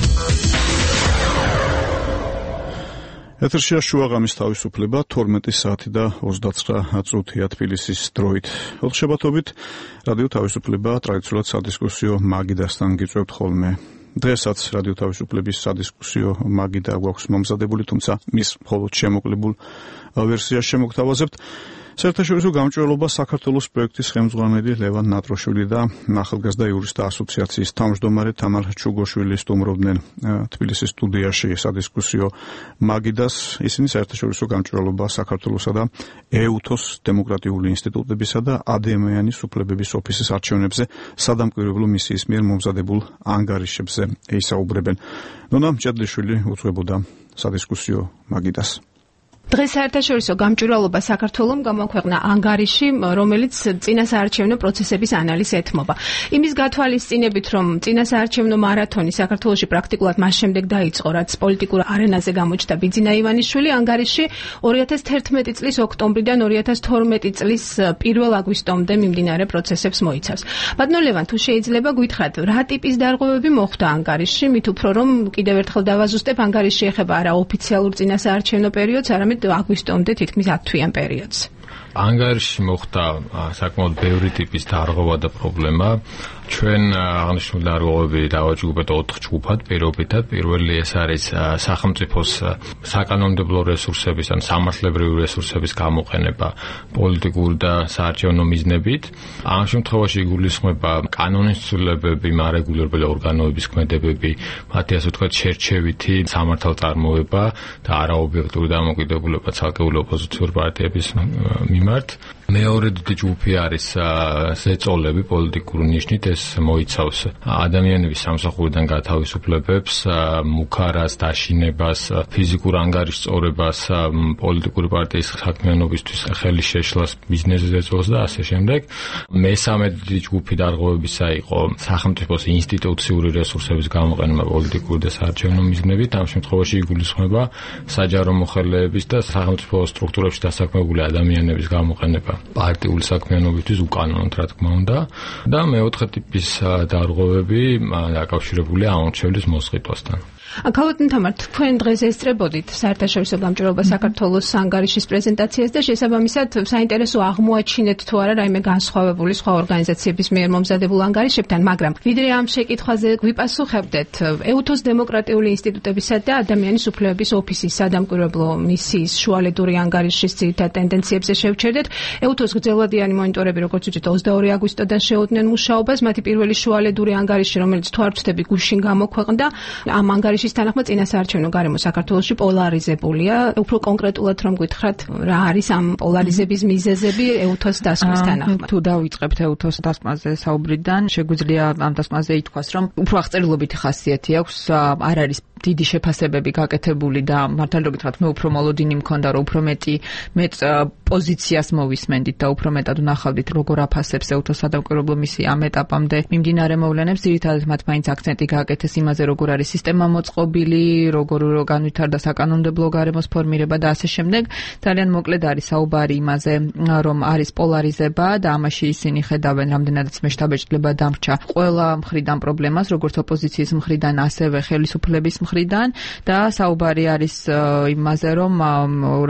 ეთერშია შუაღამის თავისუფლება თორმეტი საათი და ოცდაცხრა წუთია თბილისის დროით. ოთხშაბათობით რადიო თავისუფლება ტრადიციულად სადისკუსიო მაგიდასთან გიწევთ ხოლმე. დღესაც რადიო თავისუფლების სადისკუსიო მაგიდა გვაქვს მომზადებული, თუმცა მის მხოლოდ შემოკლებულ ვერსიას შემოგთავაზებთ. საერთაშორისო გამჭვირვალობა საქართველოს პროექტის ხელმძღვანელი ლევან ნატროშვილი და ახალგაზრდა იურისტთა ასოციაციის თავმჯდომარე თამარ ჩუგოშვილი სტუმრობდნენ თბილისის სტუდიაში სადისკუსიო მაგიდას. ისინი საერთაშორისო გამჭვირვალობა საქართველოსა და ეუთოს დემოკრატიული ინსტიტუტებისა და ადამიანის უფლებების ოფისის არჩევნებზე სადამკვირვებლო მისიის მიერ მომზადებულ ანგარიშებზე ეისაუბრებენ. ნონა მჭედლიშვილი უძღვებოდა სადისკუსიო მაგიდას. დღეს საერთაშორისო გამჭვირვალობა საქართველომ გამოაქვეყნა ანგარიში, რომელიც წინასაარჩევნო პროცესების ანალიზს ეთმობა. იმის გათვალისწინებით, რომ წინასაარჩევნო მარათონი საქართველოში პრაქტიკულად მას შემდეგ დაიწყო, რაც პოლიტიკურ არენაზე გამოჩნდა ბიძინა ივანიშვილი, ანგარიში ორი ათას თერთმეტი წლის ოქტომბრიდან ორი ათას თორმეტი წლის პირველ აგვისტომდე მიმდინარე პროცესებს მოიცავს. ბატონო ლევან, თუ შეიძლება გითხრათ, რა ტიპის დარღვევები მოხდა ანგარიში, მით უფრო რომ კიდევ ერთხელ დავაზუსტებ, ანგარიში ეხება არა ოფიციალურ წინასაარჩევნო პერიოდს, არამედ აგვისტომდე თითქმის ათ თვიან პერიოდს. ანგარიში მოხდა საკმაოდ ბევრი ტიპის დარღვევა და პრობლემა. ჩვენ აღნიშნული დარღვევები დავაჯგუფეთ ოთხ ჯგუფად. პირობითად, პირველი ეს არის სახელმწიფოს საკანონმდებლო რესურსების ან სამართლებრივი რესურსების გამოყენება პოლიტიკური და საარჩევნო მიზნებით. ამ შემთხვევაში იგულისხმება კანონის ცვლილებები, მარეგულირებული ორგანოების ქმედებები, მათი ასე ვთქვათ შერჩევითი სამართალწარმოება და არაობიექტური დამოკიდებულება ცალკეული ოპოზიციური პარტიების მიმართ. მეორე დიდი ჯგუფი არის ზეწოლები პოლიტიკური ნიშნით, ეს მოიცავს ადამიანების სამსახურიდან გათავისუფლებებს, მუქარას, დაშინებას, ფიზიკურ ანგარიშწორებას, პოლიტიკური პარტიის საქმიანობისთვის ხელის შეშლას, ბიზნეს ზეწოლს და ასე შემდეგ. მესამე დიდი ჯგუფი დარღვევებისა იყო სახელმწიფოს ინსტიტუციური რესურსების გამოყენება პოლიტიკური და საარჩევნო მიზნებით. ამ შემთხვევაში იგულისხმება საჯარო მოხელეების და სახელმწიფო სტრუქტურებში დასაქმებული ადამიანების გამოყენება პარტიული საქმიანობისთვის უკანონოდ, რა თქმა უნდა. და მეოთხე ტიპის დარღვევები დაკავშირებულია ამორჩევლის მოსყიდვასთან. ქალბატონ თამარ, თქვენ დღეს ესწრებოდით საერთაშორისო გამჭვირვალობა საქართველოს ანგარიშის პრეზენტაციას და შესაბამისად საინტერესო აღმოაჩინეთ თუ არა რაიმე განსხვავებული სხვა ორგანიზაციების მიერ მომზადებულ ანგარიშებთან, მაგრამ ვიდრე ამ შეკითხვაზე გვიპასუხებდეთ, ეუთოს დემოკრატიული ინსტიტუტებისა და ადამიანის უფლებების ოფისის სადამკვირვებლო მისიის შუალედური ანგარიშის ძირითად ტენდენციებზე შევჩერდეთ. ეუთოს გრძელვადიანი მონიტორები, როგორც ვთქვით, ოცდაორი აგვისტოდან შეუდგნენ მუშაობას. მათი პირველი შუალედური ანგარიში, რომელიც თუ არ ვცდები, გუშინ გამოქვეყნდა, ამ ანგარიშის თანახმად წინასაარჩევნო გარემო საქართველოში პოლარიზებულია. უფრო კონკრეტულად რომ გითხრათ, რა არის ამ პოლარიზების მიზეზები ეუთოს დასკვნის თანახმად? თუ დავიწყებთ ეუთოს დასკვნაზე საუბრიდან, შეგვიძლია ამ დასკვნაზე ითქვას, რომ უფრო აღწერილობითი ხასიათი აქვს, არ არის დიდი შეფასებები გაკეთებული და მართალი რომ გითხრათ, მე უფრო მოლოდინი მქონდა, რომ უფრო მეტი მეც პოზიციას მოვისმენდით და უფრო მეტად ვნახავდით, როგორ აფასებს ეუთოს სადამკვირვებლო მისია ამ ეტაპამდე მიმდინარე მოვლენებს. ძირითადად მათ მაინც აქცენტი გააკეთეს იმაზე, როგორ არის სისტემა მოწყობილი, როგორ განვითარდა საკანონმდებლო გარემოს ფორმირება და ასე შემდეგ. ძალიან მოკლედ არის საუბარი იმაზე, რომ არის პოლარიზება და ამაში ისინი ხედავენ, რამდენადაც მეშთაბეჭდილება დამრჩა ყველა მხრიდან პრობლემას, როგორც ოპოზიციის მხრიდან, ასევე ხელისუფლების მხრიდან და საუბარი არის იმაზე, რომ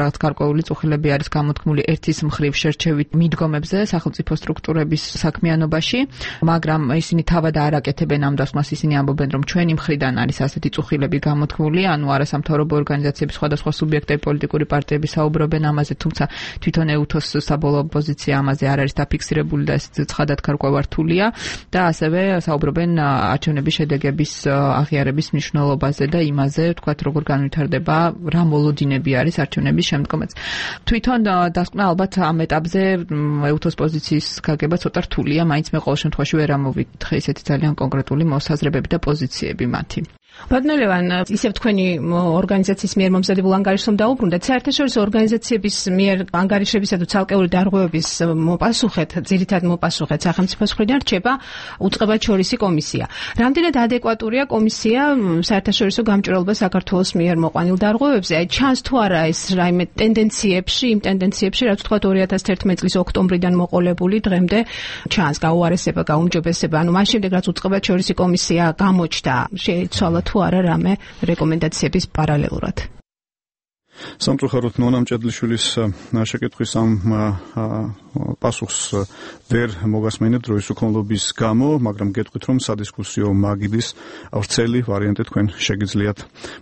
რაც გარკვეული წუხილები არის გამოთქმული ერთის მხრივ შერჩევით მიდგომებზე სახელმწიფო სტრუქტურების საქმიანობაში, მაგრამ ისინი თავად არ აკეთებენ ამ დასკვნას, ისინი ამბობენ, რომ ჩვენი მხრიდან არის ასეთი წუხილები გამოთქმული, ანუ არასამთავრობო ორგანიზაციების სხვადასხვა სუბიექტები, პოლიტიკური პარტიები საუბრობენ ამაზე, თუმცა თვითონ ეუთოს საბოლოო პოზიცია ამაზე არ არის დაფიქსირებული და ეს ცხადად გარკვევართულია და ასევე საუბრობენ არჩევნების შედეგების აღიარების მნიშვნელობაზე და იმაზე, ვთქვათ, როგორ განვითარდება, რა მოლოდინები არის არჩევნების შემდგომაც. თვითონ დასკვნა ალბათ ამ ეტაპზე ეუთოს პოზიციის გაგება ცოტა რთულია, მაინც მე ყოველ შემთხვევაში ვერ ამოვიდრე ისეთი ძალიან კონკრეტული მოსაზრებები და პოზიციები მათი. ბატონო ლევან, ისევ თქვენი ორგანიზაციის მიერ მომზადებულ ანგარიშს რომ დაუბრუნდეთ, საერთაშორისო ორგანიზაციების მიერ ანგარიშებისა თუ ცალკეული დარღვევების მოპასუხეთ, ძირითად მოპასუხეთ სახელმწიფოს მხრიდან რჩება უწყებაჩორისი კომისია. რამდენად ადეკვატურია კომისია საერთაშორისო გამჭვირვალობა საქართველოს მიერ მოყვანილ დარღვევებზე? აი ჩანს თუ არა ეს რაიმე ტენდენციებში, იმ ტენდენციებში, რაც ვთქვათ ორი ათას თერთმეტი წლის ოქტომბრიდან მოყოლებული დღემდე ჩანს გაუარესება, გაუმჯობესება, ანუ მას შემდეგ რაც უწყებაჩორისი კომისია გამოჩნდა, შეიცვალა თუ არა რამე რეკომენდაციების პარალელურად. სამწუხაროდ ნონა მჭედლიშვილის შეკითხვის ამ პასუხს ვერ მოგასმენებთ დროის უქონლობის გამო, მაგრამ გეტყვით, რომ სადისკუსიო მაგიდის ვრცელი ვარიანტი თქვენ შეგიძლიათ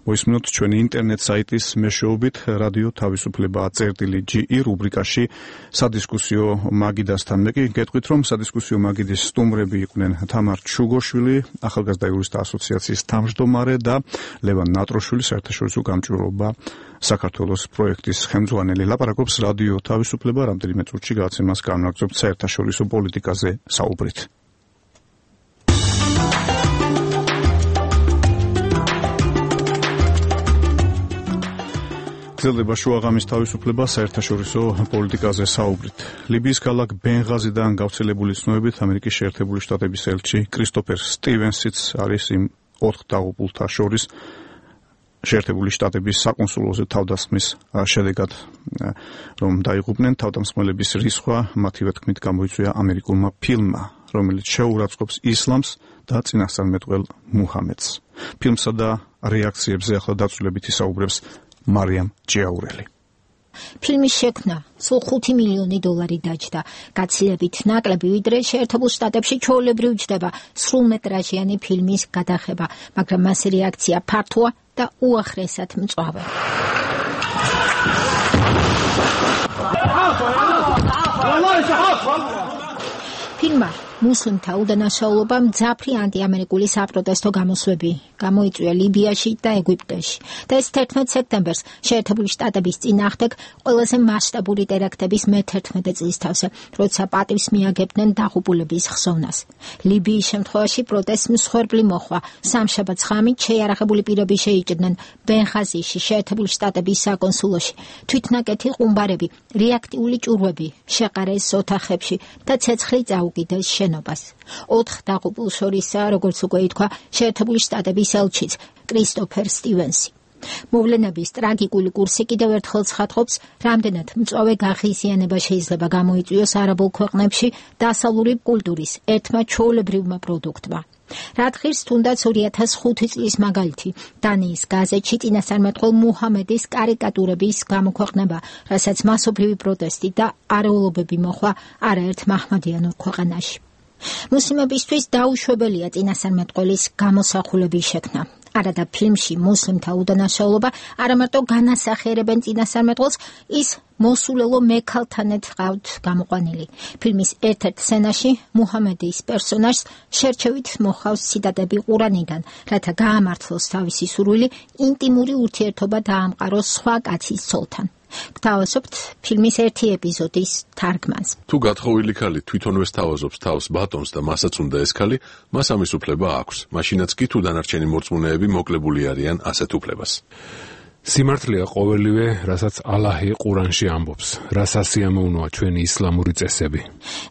მოისმინოთ ჩვენი ინტერნეტ საიტის მეშვეობით რადიო თავისუფლება წერტილი ჯი ი რუბრიკაში სადისკუსიო მაგიდასთან. მე კი გეტყვით, რომ სადისკუსიო მაგიდის სტუმრები იყვნენ თამარ ჩუგოშვილი, ახალგაზრდა იურისტთა ასოციაციის თავმჯდომარე და ლევან ნატროშვილი, საერთაშორისო გამჭვირვალობა საქართველოს პროექტის ხელმძღვანელი. ლაპარაკობს რადიო თავისუფლება, რამდენიმე წუთში გადაცემას განაგრძობთ საერთაშორისო პოლიტიკაზე საუბრით. გრძელდება შუაღამის თავისუფლება საერთაშორისო პოლიტიკაზე საუბრით. ლიბიის ქალაქ ბენღაზიდან გავრცელებული ცნობებით ამერიკის შეერთებული შტატების ელჩი კრისტოფერ სტივენსიც არის იმ ოთხ დაღუპულთა შორის შეერთებული შტატების საკონსულოზე თავდასხმის შედეგად, რომ დაიღუპნენ. თავდამსხმელების რისხვა მათივე თქმით გამოიწვია ამერიკულმა ფილმმა, რომელიც შეურაცხყოფს ისლამს და წინასწარმეტყველ მუჰამედს. ფილმსა და რეაქციებზე ახლა დაწვრილებით ისაუბრებს მარიამ ჯიაურელი. ფილმის შექმნა სულ ხუთი მილიონი დოლარი დაჯდა. გაცილებით ნაკლები, ვიდრე შეერთებულ შტატებში ჩვეულებრივ ჯდება სრულმეტრაჟიანი ფილმის გადაღება, მაგრამ მასი რეაქცია ფართოა და უახლესად მწვავე. ფილმმა მუსლიმთა უდანაშაულობა მძაფრი ანტიამერიკული საპროტესტო გამოსვლები გამოიწვია ლიბიაში და ეგვიპტეში და ეს თერთმეტ სექტემბერს შეერთებული შტატების წინააღმდეგ ყველაზე მასშტაბური ტერაქტების მეთერთმეტე წლის თავზე, როცა პატივს მიაგებდნენ დაღუპულების ხსოვნას. ლიბიის შემთხვევაში პროტესტს მსხვერპლი მოჰყვა. სამშაბათს ღამით შეიარაღებული პირები შეიჭრნენ ბენღაზიში, შეერთებული შტატების საკონსულოში. თვითნაკეთი ყუმბარები, რეაქტიული ჭურვები შეყარეს ოთახებში და ცეცხლი წაუკიდეს შენობას. ოთხ დაღუპულ შორისაა, როგორც უკვე ითქვა, შეერთებული შტატების ელჩიც კრისტოფერ სტივენსი. მოვლენების ტრაგიკული კურსი კიდევ ერთხელ ცხადყოფს, რამდენად მწვავე გაღიზიანება შეიძლება გამოიწვიოს არაბულ ქვეყნებში დასავლური კულტურის ერთმა ჩვეულებრივმა პროდუქტმა. რადგან თუნდაც ორი ათას ხუთი წლის მაგალითი დანიის გაზეთში წინასწარმეტყველ მუჰამედის კარიკატურების გამოქვეყნება, რასაც მასობრივი პროტესტი და არეულობები მოჰყვა არაერთ მაჰმადიანურ ქვეყანაში. მუსლიმებისთვის დაუშვებელია წინასწარმეტყველის გამოსახულების შექმნა. არადა ფილმში მუსლიმთა უდანაშაულობა არამარტო განასახიერებენ წინასწარმეტყველს, ის მოსულელო მექალთანაც ყავთ გამოყვანილი. ფილმის ერთ-ერთ სცენაში მუჰამედის პერსონაჟს შერჩევით მოჰყავს ციტატები ყურანიდან, რათა გაამართლოს თავისი სურვილი ინტიმური ურთიერთობა დაამყაროს სხვა კაცის ცოლთან. გთავაზობთ ფილმის ერთი ეპიზოდის თარგმანს. თუ გათხოვილი ქალი თვითონვე სთავაზობს თავს ბატონს და მასაც უნდა ეს ქალი, მას ამის უფლება აქვს. მაშინაც კი თუ დანარჩენი მორწმუნეები მოკლებული არიან ასეთ უფლებას. სიმართლეა ყოველივე, რასაც ალაჰი ყურანში ამბობს, რაც ასიამოვნოა ჩვენი ისლამური წესები.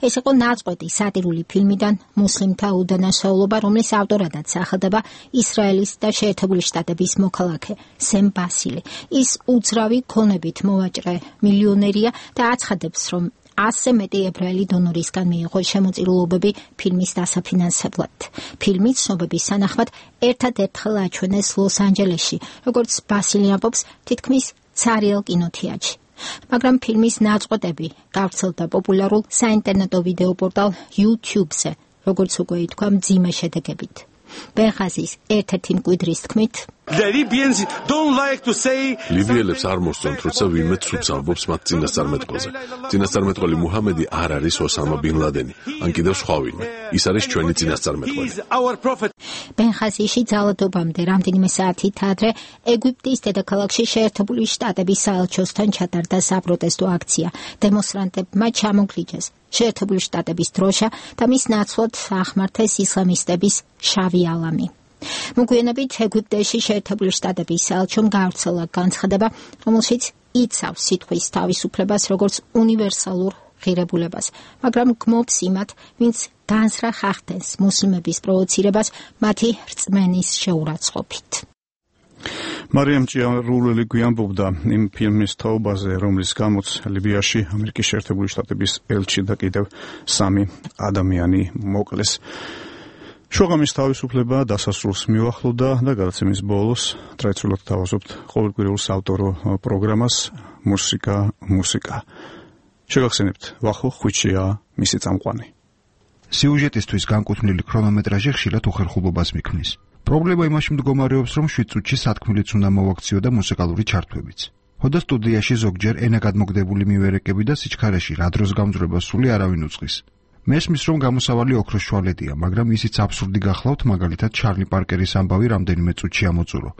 ეს იყო ნაწყვეტი სატირული ფილმიდან მუსლიმთა უდანაშაულობა, რომლის ავტორადაც სახელდება ისრაელის და შეერთებული შტატების მოქალაქე სემ ბასილი. ის უძრავი ქონებით მოვაჭრე მილიონერია და აცხადებს, რომ ასზე მეტი ებრაელი დონორისგან მიიღო შემოწირულობები ფილმის დასაფინანსებლად. ფილმი ცნობების სანახმად ერთად-ერთხელ აჩვენეს ლოს-ანჯელესში, როგორც ბასილი ამბობს, თითქმის ცარიელ კინოთეატრში. მაგრამ ფილმის ნაწყვეტები გავრცელდა პოპულარულ საინტერნეტო ვიდეო პორტალ YouTube-ზე, როგორც უკვე ითქვა, მძიმე შედეგებით. ბენღაზის ერთ-ერთი მკვიდრის თქმით, ლიბიელებს არ მოსწონთ, როცა ვინმე ცუდს ამბობს მათ წინასწარმეტყველზე. წინასწარმეტყველი მუჰამედი არ არის ოსამა ბინ ლადენი, ან კიდევ სხვა ვინმე. ის არის ჩვენი წინასწარმეტყველი. ბენღაზიში ძალადობამდე რამდენიმე საათით ადრე ეგვიპტის დედაქალაქში შეერთებული შტატების საელჩოსთან ჩატარდა საპროტესტო აქცია. დემონსტრანტებმა ჩამოგლიჯეს შეერთებული შტატების დროშა და მის ნაცვლად ახმართეს ისლამისტების შავი ალამი. მოგვიანებით ეგვიპტეში შეერთებული შტატების საელჩომ გავრცელა განცხადება, რომელშიც იცავს სიტყვის თავისუფლებას როგორც უნივერსალურ ღირებულებას, მაგრამ გმობს იმათ, ვინც განზრახ ახდენს მუსლიმების პროვოცირებას მათი რწმენის შეურაცხყოფით. მარიამ ჯიაურელი გვიამბობდა იმ ფილმის თაობაზე, რომლის გამოც ლიბიაში ამერიკის შეერთებული შტატების ელჩი და კიდევ სამი ადამიანი მოკლეს. შუაღამის თავისუფლება დასასრულს მიუახლოვდა და გადაცემის ბოლოს ტრადიციულად თავაზობთ ყოველკვირეულ საავტორო პროგრამას მუსიკა მუსიკა. შეგახსენებთ, ვახო ხვიჩია მისი წამყვანი. სიუჟეტისთვის განკუთვნილი ქრონომეტრაჟი ხშირად უხერხულობას მიქმნის. პრობლემა იმაში მდგომარეობს, რომ შვიდ წუთში სათქმულიც უნდა მოვაქციო და მუსიკალური ჩართვებიც. ხოდა სტუდიაში ზოგჯერ ენაგადმოგდებული მივერეკები და სიჩქარეში რა დროს გამძვრება სული არავინ უწყის. მესმის, რომ გამოსავალი ოქროს შუალედია, მაგრამ ისიც აბსურდი გახლავთ, მაგალითად ჩარლი პარკერის ამბავი რამდენიმე წუთში ამოწურო.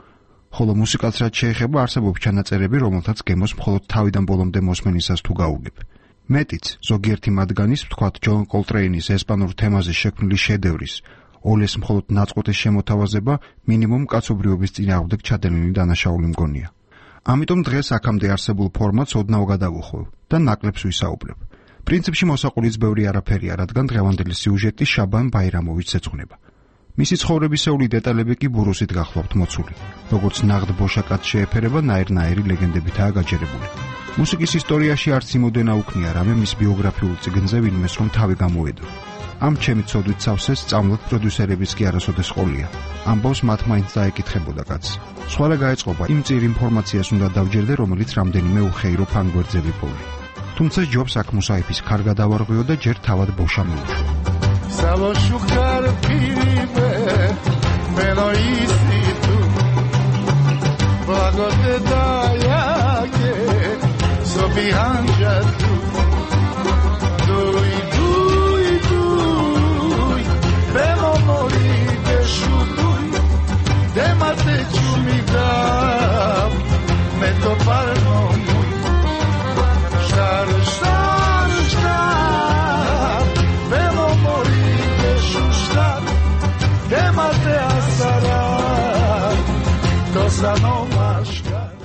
ხოლო მუსიკალს რაც შეეხება, არსებობს ჩანაწერები, რომელთაც გემოს მხოლოდ თავიდან ბოლომდე მოსმენისას თუ გაუგებ. მეტიც, ზოგიერთი მათგანის, ვთქვათ, ჯონ კოლტრეინის ესპანურ თემაზე შექმნილი შედევრის ოლეს მხოლოდ ნაწყვეტის შემოთავაზება მინიმუმ კაცობრიობის წინააღმდეგ ჩადენილი დანაშაული მგონია. ამიტომ დღეს აქამდე არსებულ ფორმატს ოდნავ გადავუხვევ და ნაკლებს ვისაუბრებ. პრინციპში მოსაყოლიც ბევრი არაფერია, რადგან დღევანდელი სიუჟეტი შაბან ბაირამოვიჩს ეძღვნება. მისი ცხოვრებისეული დეტალები კი ბურუსით გახლავთ მოცული. როგორც ნაღდ ბოშაკაც შეეფერება, ნაირ-ნაირი ლეგენდებითაა გაჯერებული. მუსიკის ისტორიაში არც იმოდენა უქნია რამე მის ბიოგრაფიულ წიგნზე ვინმეს რომ თავი გამოედო. ამ ჩემი ცოდვით სავსეს სწავლად პროდიუსერების კი არასოდეს ყოლია. ამბავს მათ მაინც დაეკითხებოდა კაცს. სხვა რა გაეწყობა იმ წիր ინფორმაციას უნდა დავჯერდე, რომელიც რამდენიმე უხეირო ფანგვერდზე ვიპოვე. თუმცა ჯობს აქ მუსაიფის ქარ გადავარღვიო და ჯერ თავად ბოშა მოვუშვო. Savoshukar piribe menoisi tu Blagote dayake sobihanja tu Dui dui dui Bemo mori beshudui Demate chumidam Me topar no mui Shtar shtar shtar Bemo mori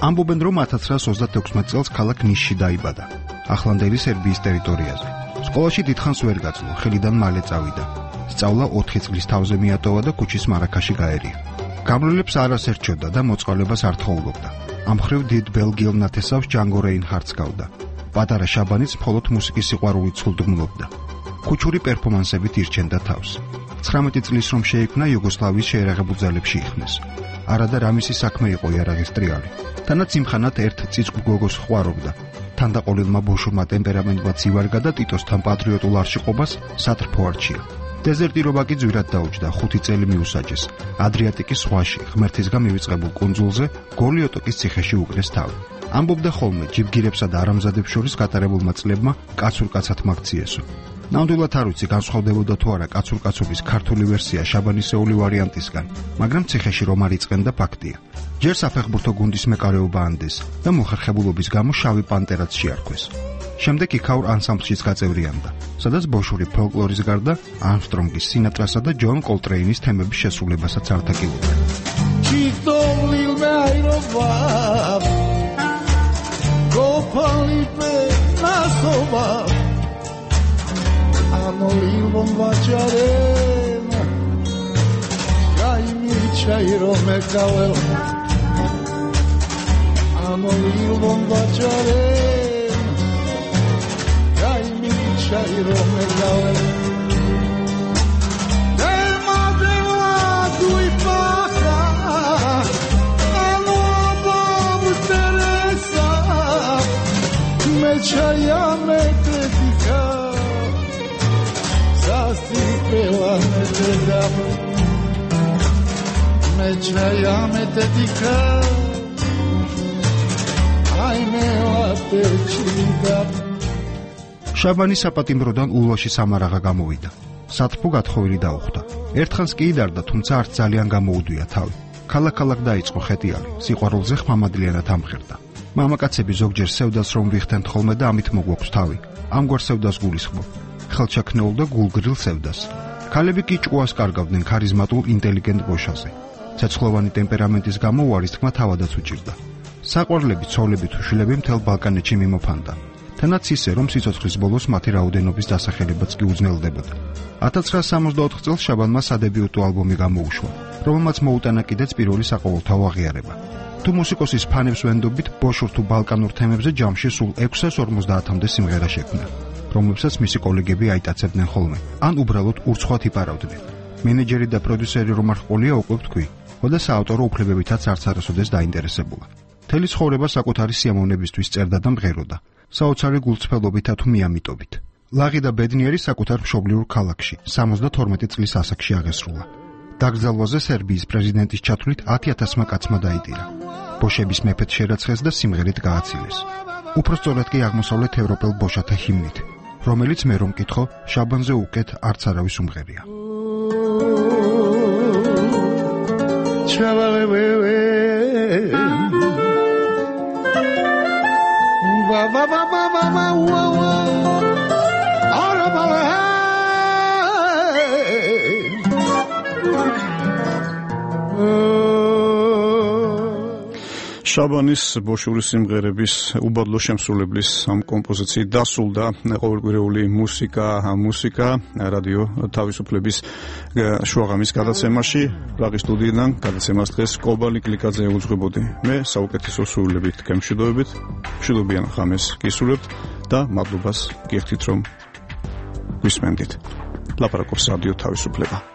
ამბობენ რომ ათას ცხრაას ოცდათექვსმეტ წელს ქალაქ ნისში დაიბადა, ახლანდელი სერბიის ტერიტორიაზე. სკოლაში დიდხანს ვერ გაძლო, ხელიდან მალე წავიდა. სწავლა ოთხი წლის თავზე მიატოვა და ქუჩის მარაქაში გაერია. გამრავლებს არას ერჩოდა და მოწყალებას არ თხოვლობდა. ამ მხრივ დიდ ბელგიელ ნათესავს ჯანგო რეინჰარდს გავდა. პატარა შაბანიც მხოლოდ მუსიკის სიყვარულით სულდმულობდა. ქუჩური პერფორმანსებით ირჩენდა თავს. ცხრამეტი წლის რომ შეიქმნა იუგოსლავიის შეერაღებულ ძალებში იხმეს. არადა რამისი საქმე იყო იარაღის ტრიალი. თანაც იმხანად ერთ წიწკ გოგოს ხვარობდა. თანდაყოლილმა ბოშურმა ტემპერამენტმა ცივარგა და ტიტოსთან პატრიოტულ არშიყობას სატრფო არჩია. დეზერტირობა კი ძვირად დაუჯდა, ხუთი წელი მიუსაჯეს. ადრიატიკის ზღვაში, ღმერთისგან მივიწყებულ კუნძულზე, გოლიოტოკის ციხეში უკრეს თავი. ამბობდა ხოლმე ჯიბგირებსა და არამზადებს შორის გატარებულმა წლებმა კაცურ-კაცად მაგციესო. ნამდვილად არ ვიცი განსხვავდებოდა თუ არა კაცურ-კაცობის ქართული ვერსია შაბანისეული ვარიანტისგან, მაგრამ ციხეში რომ არ იწყენდა ფაქტია. ჯერ საფეხბურთო გუნდის მეკარეობა ანდეს და მოხერხებულობის გამო შავი პანტერაც შეარქვეს. შემდეგ იქაურ ანსამბლშიც გაწევრიანდა, სადაც ბოშური ფოლკლორის გარდა ამსტრონგის, სინატრასა და ჯონ კოლტრეინის თემების შესრულებასაც არტაკილობდა. Anolivom vačarena Kaj mi čajro me kavel Anolivom vačarena Kaj mi čajro me kavel Dema dema duj paka Ano bab Teresa Me čaja me tetika Sasti pela me te dam Me čaja me te dika Aj me late čidam შაბანი საპატიმროდან ულვაში სამარაღა გამოვიდა. სატრფო გათხოვილი დაუხვდა. ერთხანს კი იდარდა, თუმცა არც ძალიან გამოუდვია თავი. ქალაქ-ქალაქ დაიწყო ხეტიალი, სიყვარულზე ხმამადლიანად ამხერდა. მამაკაცები ზოგჯერ სევდას რომ ვიხდენთ ხოლმე და ამით მოგვაქვს თავი. ამგვარ სევდას გულისხმობ. ხელჩაქნეულ და გულგრილ სევდას. ქალები კი ჭკუას კარგავდნენ ქარიზმატულ ინტელიგენტ ბოშაზე. ცეცხლოვანი ტემპერამენტის გამო უარის თქმა თავადაც უჭირდა. საყვარლები, ცოლები თუ შვილები მთელ ბალკანეთში მიმოფანდა. თანაც ისე, რომ სიცოცხლის ბოლოს მათი რაოდენობის დასახელებაც კი უძნელდებოდა. ათას ცხრაას სამოცდაოთხ წელს შაბანმა სადებიუტო ალბომი გამოუშვა, რომელმაც მოუტანა კიდეც პირველი საყოველთაო აღიარება. თუ მუსიკოსის ფანებს ვენდობით, ბოშურ თუ ბალკანურ თემებზე ჯამში სულ ექვსას ორმოცდაათამდე სიმღერა შექმნა, რომლებსაც მისი კოლეგები აიტაცებდნენ ხოლმე, ან უბრალოდ ურცხვად იპარავდნენ. მენეჯერი და პროდიუსერი რომ არ ჰყოლია, უკვე ვთქვი, და საავტორო უფლებებითაც არც არასოდეს დაინტერესებულა. მთელი ცხოვრება საკუთარი სიამოვნებისთვის წერდა და მღეროდა. საოცარი გულწრფელობითა თუ მიამიტობით. ლაღი და ბედნიერი საკუთარ მშობლიურ ქალაქში სამოცდათორმეტი წლის ასაკში აღესრულა. დაკრძალვაზე სერბიის პრეზიდენტის ჩათვლით ათი ათასმა კაცმა დაიტირა. ბოშების მეფედ შერაცხეს და სიმღერით გააცილეს. უпростоრად კი აღმოსავლეთ ევროპელ ბოშათა ჰიმნით, რომელიც მე რომ მკითხო, შაბანზე უკეთ არც არავის უმღერია. Va va va va va va va va arabale შაბანის ბოშურის სიმღერების უბადლო შემსრულებლის ამ კომპოზიციით დასრულდა ყოველკვირეული მუსიკა, მუსიკა რადიო თავისუფლების შუაღამის გადაცემაში. პრაღის სტუდიიდან გადაცემას დღეს კობალი კლიკაძე უძღვებოდი. მე საუკეთესო სურვილებით გემშვიდობებით, მშვიდობიან ღამეს გისურვებთ და მადლობას გიხდით რომ გვისმენდით. ლაპარაკობს რადიო თავისუფლება.